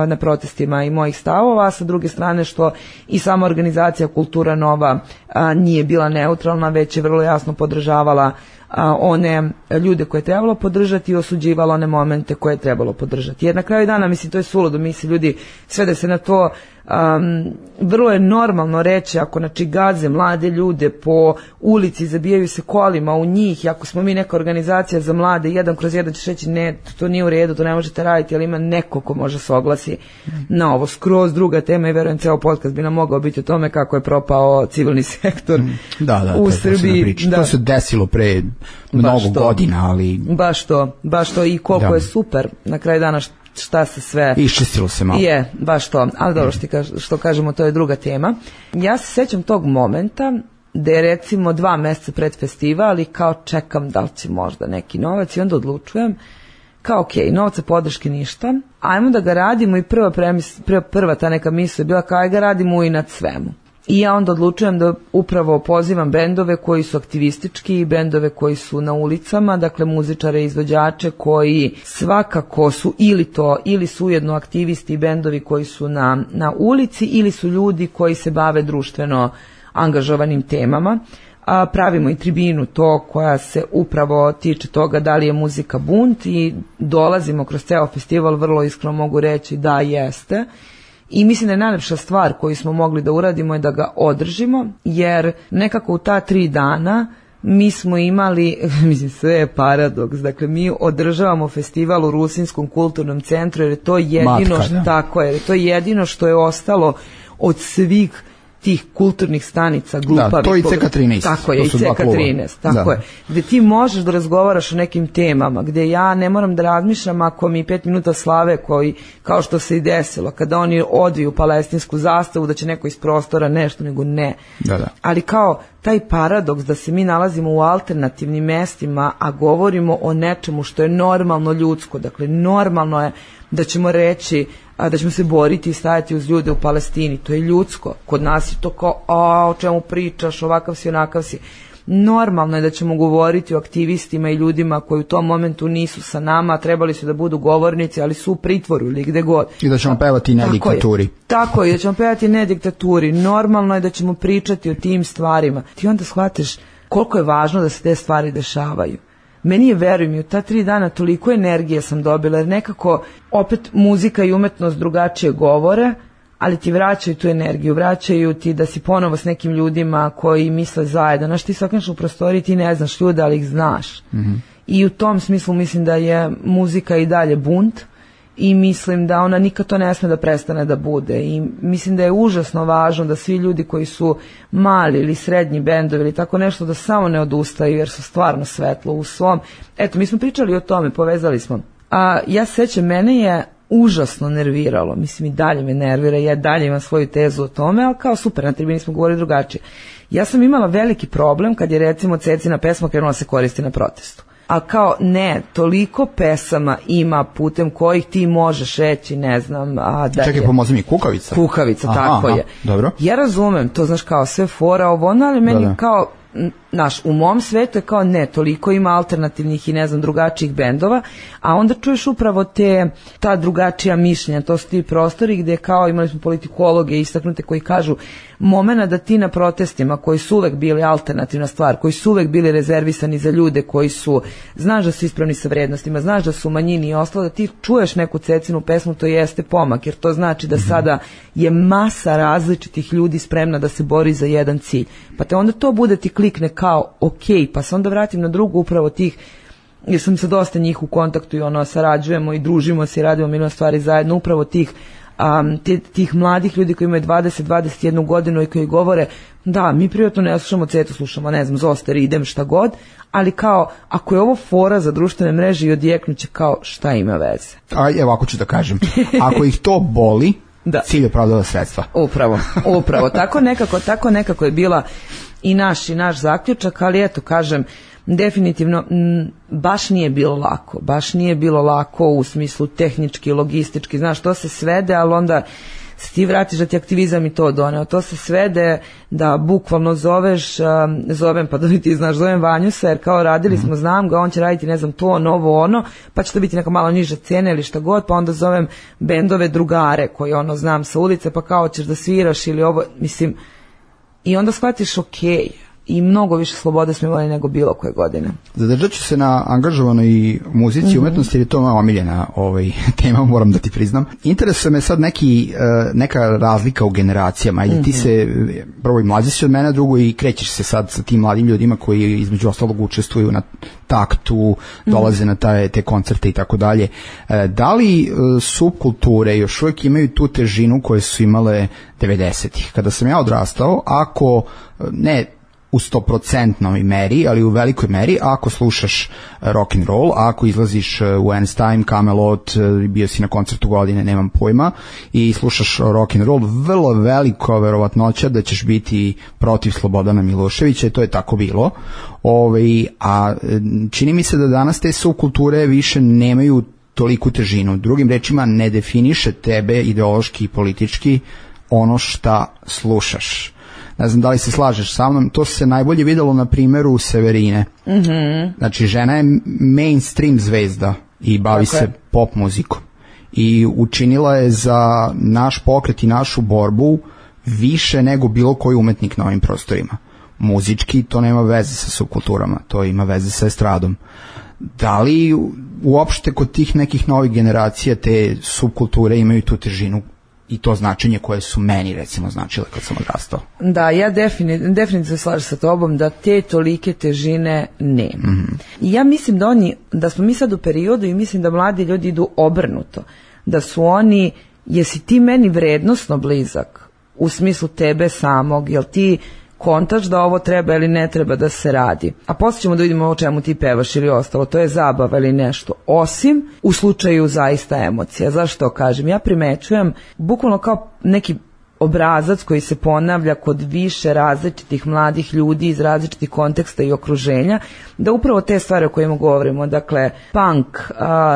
na protestima i mojih stavova, a sa druge strane što i sama organizacija Kultura Nova nije bila neutralna, već je vrlo jasno podržavala one ljude koje je trebalo podržati i osuđivala one momente koje je trebalo podržati. Jer na kraju dana, mislim, to je suludo, misli ljudi sve da se na to vrlo je normalno reći ako gaze mlade ljude po ulici, zabijaju se kolima u njih i ako smo mi neka organizacija za mlade, 1/1 ćeš reći ne, to nije u redu, to ne možete raditi, ali ima neko ko može se oglasi na ovo. Skroz druga tema i verujem ceo podcast bi nam mogao biti o tome kako je propao civilni sektor u Srbiji. To se desilo pre mnogo godina, ali baš to i koliko je super na kraju dana šta se sve iščistilo se malo. Je, baš to, ali dobro što kažemo, to je druga tema. Ja se sećam tog momenta da je recimo 2 meseca pred festival i kao čekam da li će možda neki novac i onda odlučujem kao okej, novca podrške ništa, ajmo da ga radimo i prva ta neka misla je bila kao aj ga radimo i nad svemu. I ja onda odlučujem da upravo pozivam bendove koji su aktivistički, bendove koji su na ulicama, dakle muzičare i izvođače koji svakako su ili su ujedno aktivisti i bendovi koji su na ulici ili su ljudi koji se bave društveno angažovanim temama. Pravimo i tribinu to koja se upravo tiče toga da li je muzika bunt i dolazimo kroz ceo festival, vrlo iskreno mogu reći da jeste. I mislim da je najlepša stvar koju smo mogli da uradimo je da ga održimo, jer nekako u ta 3 dana mi smo imali, mislim sve je paradoks, dakle mi održavamo festival u Rusinskom kulturnom centru jer je to jedino to je jedino što je ostalo od svih tih kulturnih stanica glupavi. Da, to je i CK13. Tako je, i CK13, tako je. Gde ti možeš da razgovaraš o nekim temama, gde ja ne moram da razmišljam ako mi 5 minuta slave koji, kao što se i desilo, kada oni odviju palestinsku zastavu, da će neko iz prostora nešto, nego ne. Da. Ali kao taj paradoks da se mi nalazimo u alternativnim mestima, a govorimo o nečemu što je normalno ljudsko, dakle normalno je da ćemo reći da ćemo se boriti i stajati uz ljude u Palestini, to je ljudsko. Kod nas je to kao, o čemu pričaš, ovakav si, onakav si. Normalno je da ćemo govoriti o aktivistima i ljudima koji u tom momentu nisu sa nama, trebali su da budu govornici, ali su u pritvoru ili gde god. I da ćemo pevati ne diktaturi. Tako je, da ćemo pevati ne diktaturi. Normalno je da ćemo pričati o tim stvarima. Ti onda shvatiš koliko je važno da se te stvari dešavaju. Meni je, veruj mi, u ta 3 dana toliko energije sam dobila, jer nekako opet muzika i umetnost drugačije govore, ali ti vraćaju tu energiju, vraćaju ti da si ponovo s nekim ljudima koji misle zajedno. Znaš, ti se okreneš u prostoriji, ti ne znaš ljude, ali ih znaš. Mm-hmm. I u tom smislu mislim da je muzika i dalje bunt i mislim da ona nikad to ne sme da prestane da bude. I mislim da je užasno važno da svi ljudi koji su mali ili srednji bendovi ili tako nešto da samo ne odustaju jer su stvarno svetlo u svom. Eto, mi smo pričali o tome, povezali smo. Ja se sećam, mene je užasno nerviralo, mislim i dalje me nervira, ja dalje imam svoju tezu o tome, ali kao super, na tribini smo govorili drugačije. Ja sam imala veliki problem kad je recimo Cecina pesma krenula se koristi na protestu. A kao ne, toliko pesama ima putem kojih ti možeš reći, ne znam, da čekaj, pomozi mi, Kukavica? Kukavica, tako je. Dobro. Ja razumem, to znaš kao sve fora ovo, ali meni kao, naš, u mom svetu je kao ne, toliko ima alternativnih i ne znam drugačijih bendova, a onda čuješ upravo ta drugačija mišljenja, to su ti prostori gde kao imali smo politikologe istaknute koji kažu momena da ti na protestima koji su uvek bili alternativna stvar, koji su uvek bili rezervisani za ljude koji su, znaš da su ispravni sa vrednostima, znaš da su u manjini i ostalo, da ti čuješ neku Cecinu pesmu, to jeste pomak, jer to znači da sada je masa različitih ljudi spremna da se bori za jedan cilj. Pa te onda to bude ti klikne kao okej, pa se onda vratim na drugu upravo tih, jer sam sa dosta njih u kontaktu i sarađujemo i družimo se i radimo milion stvari zajedno, upravo tih mladih ljudi koji imaju 20-21 godinu i koji govore da, mi privatno ne slušamo Cetu, slušamo, ne znam, Zoster, idem, šta god, ali kao, ako je ovo fora za društvene mreže i odjeknuće, kao, šta ima veze? Evo, ako ću da kažem, ako ih to boli, cilj opravdava sredstva. Upravo, tako nekako je bila i naš zaključak, ali eto, kažem, definitivno baš nije bilo lako u smislu tehnički, logistički, znaš, to se svede, ali onda se ti vratiš da ti aktivizam i to doneo, to se svede da bukvalno zovem, pa da ti znaš, zovem Vanjusa, jer kao radili smo, znam ga, on će raditi, ne znam, to, novo, ono, pa će to biti neka malo niža cena ili šta god, pa onda zovem bendove drugare koji znam sa ulice, pa kao ćeš da sviraš ili ovo, mislim, i onda shvatiš okej, i mnogo više slobode smo imali nego bilo koje godine. Zadržat ću se na angažovanoj muzici i umetnosti, jer je to moja omiljena tema, moram da ti priznam. Interesuje me sad neka razlika u generacijama, ili ti se, prvo i mlađi si od mene, drugo i krećeš se sad sa tim mladim ljudima koji između ostalog učestvuju na taktu, dolaze na te koncerte i tako dalje. Da li subkulture još uvijek imaju tu težinu koje su imale 90-ih? Kada sam ja odrastao, ako ne u 100% meri, ali u velikoj meri ako slušaš rock and roll, ako izlaziš u Einstein, Camelot, bio si na koncertu godine, nemam pojma, i slušaš rock and roll, vrlo veliko verovatnoća da ćeš biti protiv Slobodana Miloševića, i to je tako bilo. A čini mi se da danas te subkulture više nemaju toliku težinu. Drugim rečima, ne definiše tebe ideološki i politički ono šta slušaš. Ne znam da li se slažeš sa mnom, to se najbolje videlo na primjeru Severine. Znači, žena je mainstream zvezda i bavi se pop muzikom. I učinila je za naš pokret i našu borbu više nego bilo koji umetnik na ovim prostorima. Muzički to nema veze sa subkulturama, to ima veze sa estradom. Da li uopšte kod tih nekih novih generacija te subkulture imaju tu težinu i to značenje koje su meni recimo značile kad sam odrastao? Da, ja definitivno se slažem sa tobom da te tolike težine nema. I ja mislim da smo mi sad u periodu i mislim da mladi ljudi idu obrnuto. Da su oni, jesi ti meni vrednosno blizak u smislu tebe samog, jel ti kontač da ovo treba ili ne treba da se radi. A poslije ćemo da vidimo o čemu ti pevaš ili ostalo, to je zabava ili nešto. Osim u slučaju zaista emocija. Zašto kažem? Ja primećujem bukvalno kao neki obrazac koji se ponavlja kod više različitih mladih ljudi iz različitih konteksta i okruženja, da upravo te stvari o kojima govorimo, dakle punk,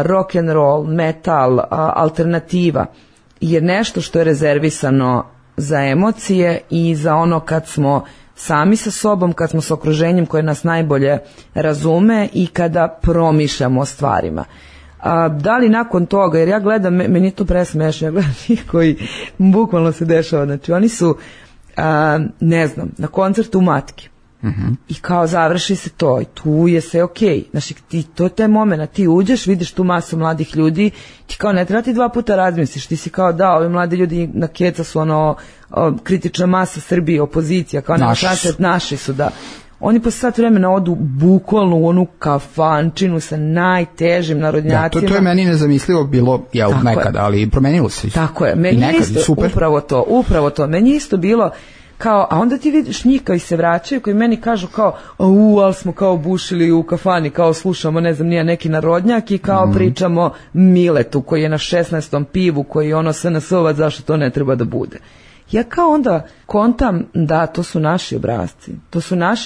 rock and roll, metal, alternativa, je nešto što je rezervisano za emocije i za ono kad smo sami sa sobom, kad smo s okruženjem koje nas najbolje razume i kada promišljamo o stvarima. Da li nakon toga, jer ja gledam, meni to presmešno, ja gledam njih koji bukvalno se dešava, znači oni su, ne znam, na koncertu u Matki. I kao završi se to i tu je sve okej. Znači to je taj moment, ti uđeš, vidiš tu masu mladih ljudi, ti kao ne treba ti 2 puta razmisliš, ti si kao da, ovi mladi ljudi na keca su kritična masa Srbije, opozicija, kao naši su, da. Oni posle sat vremena odu bukvalno u onu kafančinu sa najtežim narodnjacima. Da, to je meni nezamislivo bilo nekada, ali promenilo se. Tako je, meni je isto upravo to, meni je isto bilo kao, a onda ti vidiš njih koji se vraćaju, koji meni kažu kao, ali smo kao bušili u kafani, kao slušamo, ne znam, nije neki narodnjak i kao pričamo Miletu koji je na 16. pivu, koji je ono SNS-ovac, zašto to ne treba da bude. Ja kao onda kontam da to su naši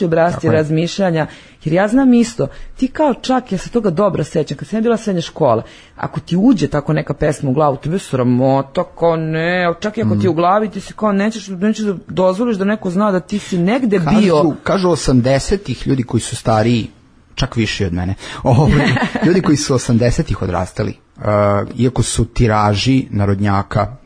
obrasci razmišljanja, jer ja znam isto, ti kao čak, ja se toga dobro sećam, kad sam ja bila srednja škola, ako ti uđe tako neka pesma u glavu, tebe sramota, kao ne, čak i ako ti je u glavi, ti si kao nećeš da dozvoliš da neko zna da ti si negde bio. Kažu 80-ih ljudi koji su stariji, čak više od mene, ljudi koji su 80-ih odrastali, iako su tiraži narodnjaka,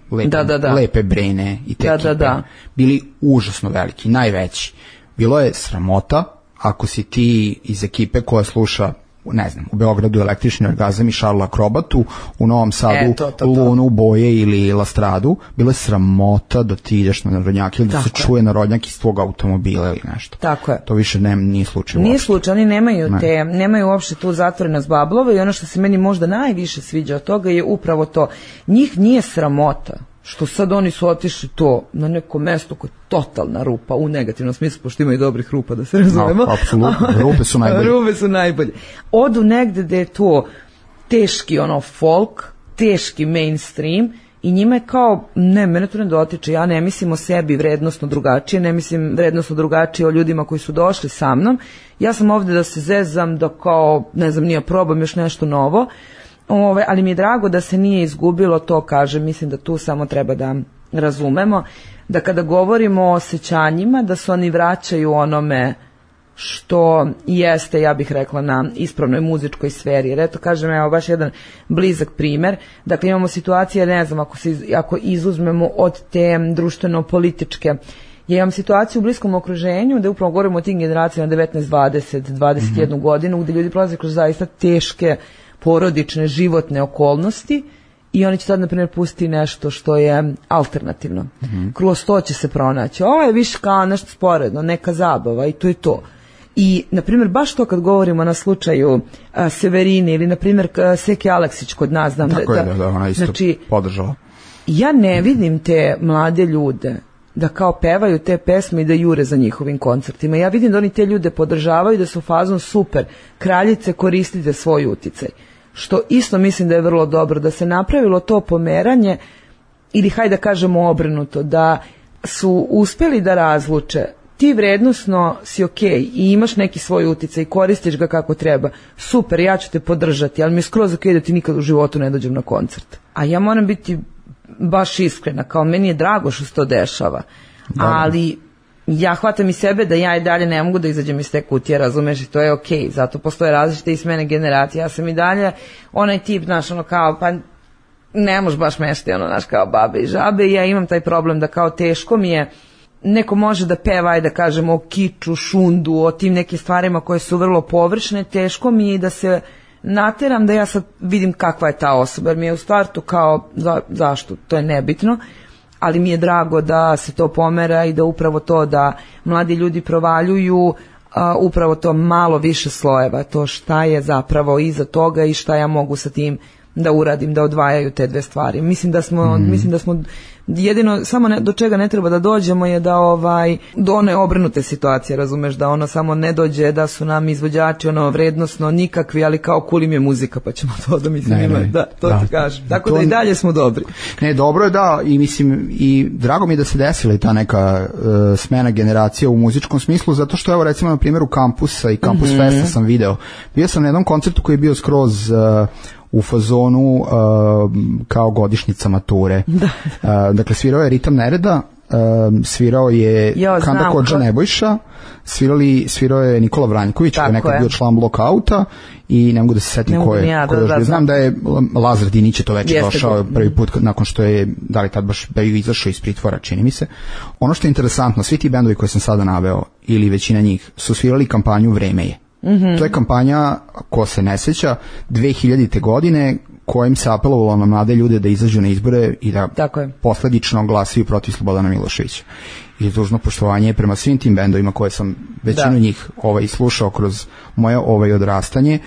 lepe Brene i te ekipe, bili užasno veliki, najveći. Bilo je sramota ako si ti iz ekipe koja sluša, ne znam, u Beogradu Električni orgazam i Šarla Akrobatu, u Novom Sadu Lunu, Boje ili Lastradu, bilo je sramota da ti ideš na narodnjak ili da se čuje narodnjak iz tvog automobila ili nešto. Tako je. To više nije slučaj. Nije slučaj, oni nemaju uopšte tu zatvorenost bablova i ono što se meni možda najviše sviđa od toga je upravo to. Njih nije sramota što sad oni su otišli to na neko mesto koje je totalna rupa, u negativnom smislu, pošto ima i dobrih rupa, da se razumemo. Apsolutno, rupe su najbolje. Odu negde gde je to teški folk, teški mainstream i njima je kao, ne, mene to ne dotiče, ja ne mislim o sebi vrednosno drugačije, ne mislim vrednosno drugačije o ljudima koji su došli sa mnom, ja sam ovde da se zezam, da kao, ne znam, nije probam još nešto novo, ali mi je drago da se nije izgubilo to, kažem, mislim da tu samo treba da razumemo, da kada govorimo o osjećanjima, da se oni vraćaju onome što jeste, ja bih rekla, na ispravnoj muzičkoj sferi. Jer eto, kažem, evo baš jedan blizak primer. Dakle, imamo situacije, ne znam, ako izuzmemo od te društveno-političke, ja imam situaciju u bliskom okruženju gde upravo govorimo o tim generacijama 19, 20, 21 godinu, gde ljudi prolaze kroz zaista teške porodične, životne okolnosti i oni će sad, na primjer, pustiti nešto što je alternativno. Kroz to će se pronaći. Ovo je više kao nešto sporedno, neka zabava i to je to. I, na primjer, baš to kad govorimo na slučaju Severine ili, na primjer, Seki Aleksić kod nas. Tako je, da, ona isto podržala. Ja ne vidim te mlade ljude da kao pevaju te pesme i da jure za njihovim koncertima. Ja vidim da oni te ljude podržavaju, da su fazon super, kraljice, koristite svoj uticaj. Što isto mislim da je vrlo dobro, da se napravilo to pomeranje, ili hajde da kažemo obrnuto, da su uspeli da razluče ti vrednosno si okej i imaš neki svoj uticaj i koristiš ga kako treba, super, ja ću te podržati, ali mi je skroz okej da ti nikad u životu ne dođem na koncert. A ja moram biti baš iskrena, kao meni je drago što se to dešava, ali ja hvatam i sebe da ja i dalje ne mogu da izađem iz te kutije, razumeš, i to je okej, zato postoje različite iz mene generacije, ja sam i dalje onaj tip, znaš, ono kao, pa ne možeš baš mešati, ono, znaš, kao babe i žabe, i ja imam taj problem da kao teško mi je, neko može da peva i da kažemo o kiču, šundu, o tim nekim stvarima koje su vrlo površne, teško mi je i da se nateram da ja sad vidim kakva je ta osoba, jer mi je u startu kao, zašto, to je nebitno, ali mi je drago da se to pomera i da upravo to da mladi ljudi provaljuju upravo to malo više slojeva, to šta je zapravo iza toga i šta ja mogu sa tim da uradim, da odvajaju te dve stvari. Mislim da smo jedino, samo do čega ne treba da dođemo je da do one obrnute situacije, razumeš, da ono samo ne dođe da su nam izvođači ono vrednosno nikakvi, ali kao cool im je muzika, pa ćemo to da mislim da to ti kažem. Tako da i dalje smo dobri. Ne, dobro je da, i mislim, i drago mi je da se desila i ta neka smena generacija u muzičkom smislu, zato što evo recimo na primjeru Kampusa i Kampus Festa sam video. Bio sam na jednom koncertu koji je bio skroz u fazonu kao godišnjica mature. Dakle, svirao je Ritam Nereda, svirao je Kanda Kodža Nebojša, svirao je Nikola Vranjković, koji je nekad bio član Blockouta, i ne mogu da se setim ko je. Znam da je Lazar Dinić je to već došao prvi put nakon što je, da li tad baš bio izašao iz pritvora, čini mi se. Ono što je interesantno, svi ti bendovi koje sam sada naveo, ili većina njih, su svirali kampanju Vreme je. To je kampanja, ko se ne seća, 2000. godine, kojim se apelovalo na mlade ljude da izađu na izbore i da posledično glasaju protiv Slobodana Miloševića. I dužno poštovanje prema svim tim bendovima koje sam većinu njih slušao kroz moje odrastanje.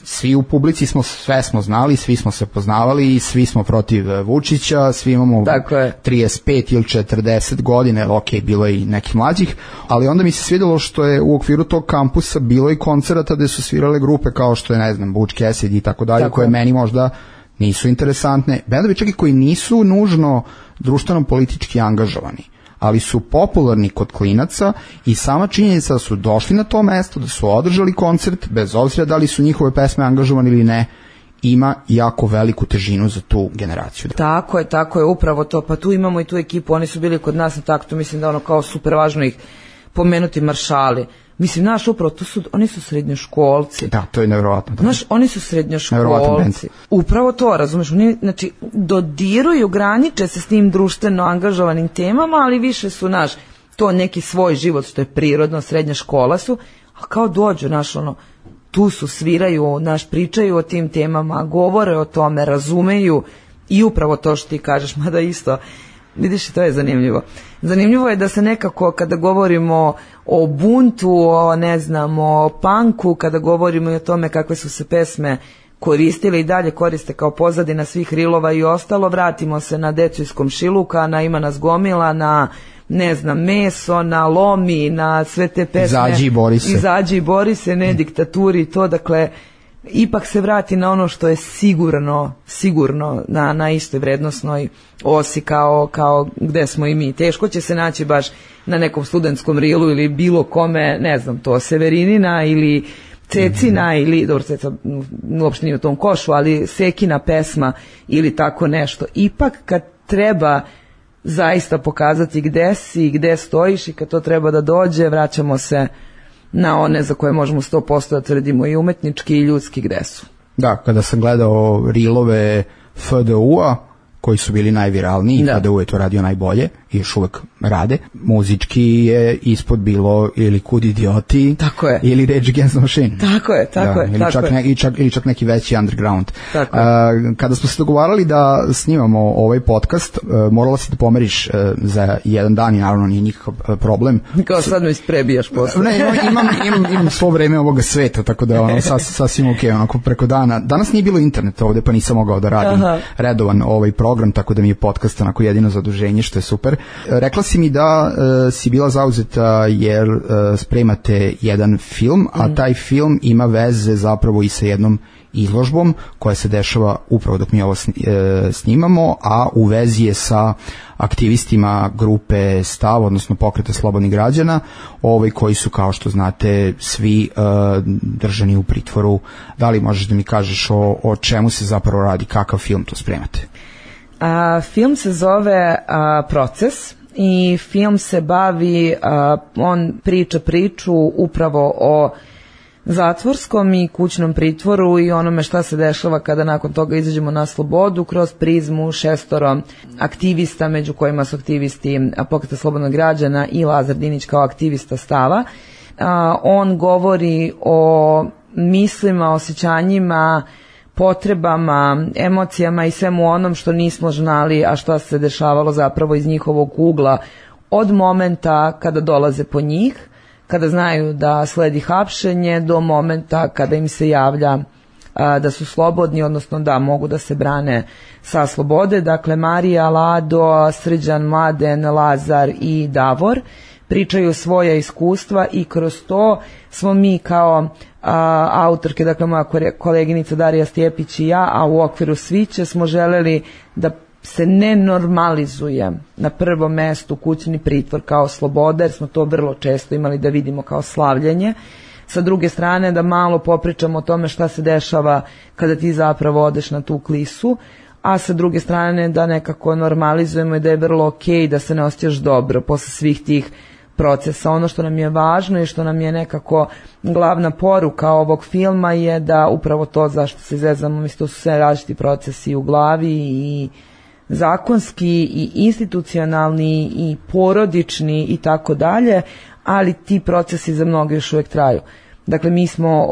Svi u publici sve smo znali, svi smo se poznavali, svi smo protiv Vučića, svi imamo 35 ili 40 godine, ok, bilo je i nekih mlađih, ali onda mi se svidjelo što je u okviru tog kampusa bilo i koncerata gde su svirale grupe kao što je, ne znam, Butch Cassidy i tako dalje, koje meni možda nisu interesantne. Bendovi čak i koji nisu nužno društveno-politički angažovani, ali su popularni kod klinaca, i sama činjenica da su došli na to mesto, da su održali koncert, bez obzira da li su njihove pesme angažovane ili ne, ima jako veliku težinu za tu generaciju. Tako je, upravo to. Pa tu imamo i tu ekipu, oni su bili kod nas na taktu, mislim da ono kao super važno ih pomenuti, maršali. Mislim, znaš, upravo, oni su srednjoškolci. Da, to je nevjerovatno. Znaš, oni su srednjoškolci. Upravo to, razumeš, oni, znači, dodiruju, graniče se s tim društveno angažovanim temama, ali više su, znaš, to neki svoj život, što je prirodno, srednja škola su, a kao dođu, znaš, ono, tu su, sviraju, znaš, pričaju o tim temama, govore o tome, razumeju, i upravo to što ti kažeš, mada isto, vidiš, to je zanimljivo. Zanimljivo je da se nekako, kada govorimo o buntu, o, ne znam, o punku, kada govorimo i o tome kakve su se pesme koristile i dalje koriste kao pozadina svih rilova i ostalo, vratimo se na Decu iz komšiluka, na Ima nas gomila, na, ne znam, Meso, na Lomi, na sve te pesme. Izađi i bori se, ne diktaturi i to, dakle, ipak se vrati na ono što je sigurno na istoj vrednosnoj osi kao gde smo i mi. Teško će se naći baš na nekom studentskom rilu ili bilo kome, ne znam, to Severinina ili Cecina ili, dobro, Ceca uopšte nije u tom košu, ali Sekina pesma ili tako nešto. Ipak kad treba zaista pokazati gde si i gde stojiš i kad to treba da dođe, vraćamo se na one za koje možemo 100% da tvrdimo i umetnički i ljudski gde su. Da, kada sam gledao rilove FDU-a, koji su bili najviralniji, FDU je to radio najbolje i još uvek rade, muzički je ispod bilo ili Kud idioti, ili Rage Against the Machine. Tako je. Ili čak neki veći underground. Kada smo se dogovarali da snimamo ovaj podcast, morala si da pomeriš za jedan dan i naravno nije nikakav problem. Kao sad me isprebijaš posle. Ne, imam svo vreme ovoga sveta, tako da sasvim ok, onako preko dana. Danas nije bilo interneta ovde, pa nisam mogao da radim redovan ovaj program. program, tako da mi je podcast onako jedino zaduženje, što je super. Rekla si mi da si bila zauzeta jer spremate jedan film, a taj film ima veze zapravo i sa jednom izložbom koja se dešava upravo dok mi ovo snimamo, a u vezi je sa aktivistima grupe Stav, odnosno Pokreta slobodnih građana, koji su, kao što znate, svi držani u pritvoru. Da li možeš da mi kažeš o čemu se zapravo radi, kakav film tu spremate? Film se zove Proces i film se bavi, on priča priču upravo o zatvorskom i kućnom pritvoru i onome šta se dešava kada nakon toga izađemo na slobodu kroz prizmu 6 aktivista, među kojima su aktivisti Pokreta slobodnog građana i Lazar Dinić kao aktivista Stava. On govori o mislima, osjećanjima, potrebama, emocijama i svemu onom što nismo znali, a što se dešavalo zapravo iz njihovog ugla od momenta kada dolaze po njih, kada znaju da sledi hapšenje, do momenta kada im se javlja da su slobodni, odnosno da mogu da se brane sa slobode. Dakle, Marija, Lado, Srđan, Mladen, Lazar i Davor pričaju svoja iskustva i kroz to smo mi kao autorke, dakle moja koleginica Darija Stjepić i ja, a u okviru Sviće smo želeli da se ne normalizuje na prvom mestu kućni pritvor kao sloboda, jer smo to vrlo često imali da vidimo kao slavljenje. Sa druge strane, da malo popričamo o tome šta se dešava kada ti zapravo odeš na tu klisu, a sa druge strane da nekako normalizujemo i da je vrlo okej da se ne osjećaš dobro posle svih tih procesa. Ono što nam je važno i što nam je nekako glavna poruka ovog filma je da upravo to zašto se zezamo, mislim, to su sve različiti procesi u glavi i zakonski i institucionalni i porodični i tako dalje, ali ti procesi za mnoge još uvijek traju. Dakle, mi smo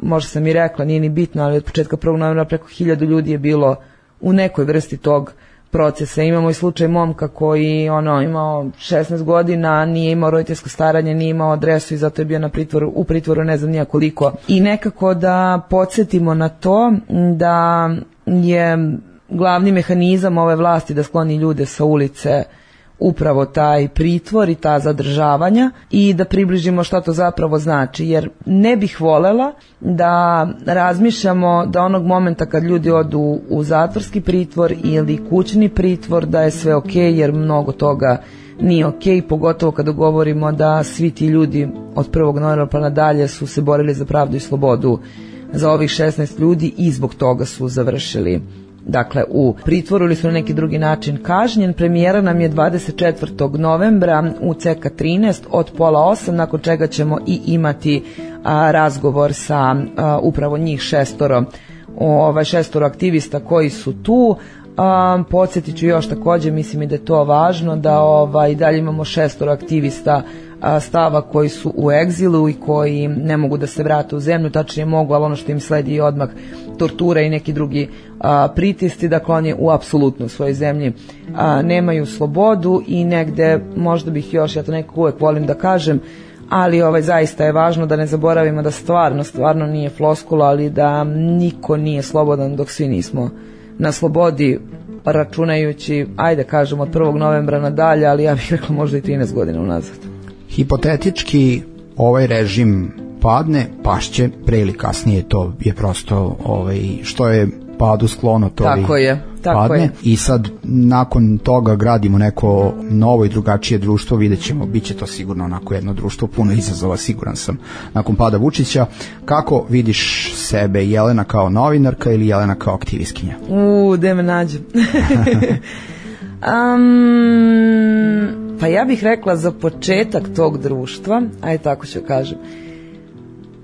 možda sam i rekla, nije ni bitno, ali od početka 1. novembra preko 1000 ljudi je bilo u nekoj vrsti tog procesa. Imamo i slučaj momka koji imao 16 godina, nije imao roditeljsko staranje, nije imao adresu i zato je bio u pritvoru ne znam nija koliko. I nekako da podsjetimo na to da je glavni mehanizam ove vlasti da skloni ljude sa ulice upravo taj pritvor i ta zadržavanja i da približimo šta to zapravo znači, jer ne bih volela da razmišljamo da onog momenta kad ljudi odu u zatvorski pritvor ili kućni pritvor da je sve okej, jer mnogo toga nije okej, pogotovo kada govorimo da svi ti ljudi od 1. novembra pa nadalje su se borili za pravdu i slobodu za ovih 16 ljudi i zbog toga su završili u pritvoru ili su na neki drugi način kažnjen. Premijera nam je 24. novembra u CK13 od 7:30, nakon čega ćemo i imati razgovor sa upravo njih 6 aktivista koji su tu. Podsjetit ću još također, mislim i da je to važno, da i dalje imamo 6 aktivista Stava koji su u egzilu i koji ne mogu da se vrate u zemlju, tačnije mogu, ali ono što im sledi je odmah tortura i neki drugi pritisci. Dakle, oni u apsolutno svojoj zemlji nemaju slobodu i negde, možda bih još, ja to nekako uvek volim da kažem, ali zaista je važno da ne zaboravimo da stvarno nije floskula, ali da niko nije slobodan dok svi nismo na slobodi, računajući, ajde kažem, od 1. novembra nadalje, ali ja bih rekla možda i 13 godina unazad. Hipotetički ovaj režim padne, pašće, pre ili kasnije, to je prosto što je padu sklono, to padne. I sad nakon toga gradimo neko novo i drugačije društvo, vidjet ćemo, bit će to sigurno onako jedno društvo puno izazova, siguran sam, nakon pada Vučića. Kako vidiš sebe, Jelena kao novinarka ili Jelena kao aktivistkinja? Da me nađem. Pa ja bih rekla za početak tog društva, ajde tako ću kažem,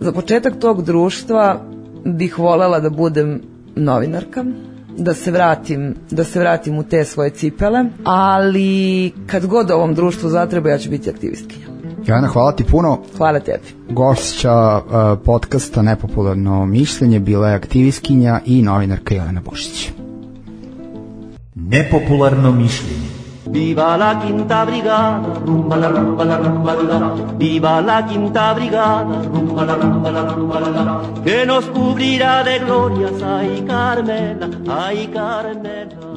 za početak tog društva bih voljela da budem novinarka, da se vratim u te svoje cipele, ali kad god ovom društvu zatreba ja ću biti aktivistkinja. Jelena, hvala ti puno. Hvala tebi. Gošća podcasta Nepopularno mišljenje bila je aktivistkinja i novinarka Jelena Bušić. Nepopularno mišljenje. Viva la quinta brigada, rumba la rumba la rumba la. Viva la quinta brigada, rumba la rumba la rumba la. Que nos cubrirá de glorias, ay Carmela, ay Carmela.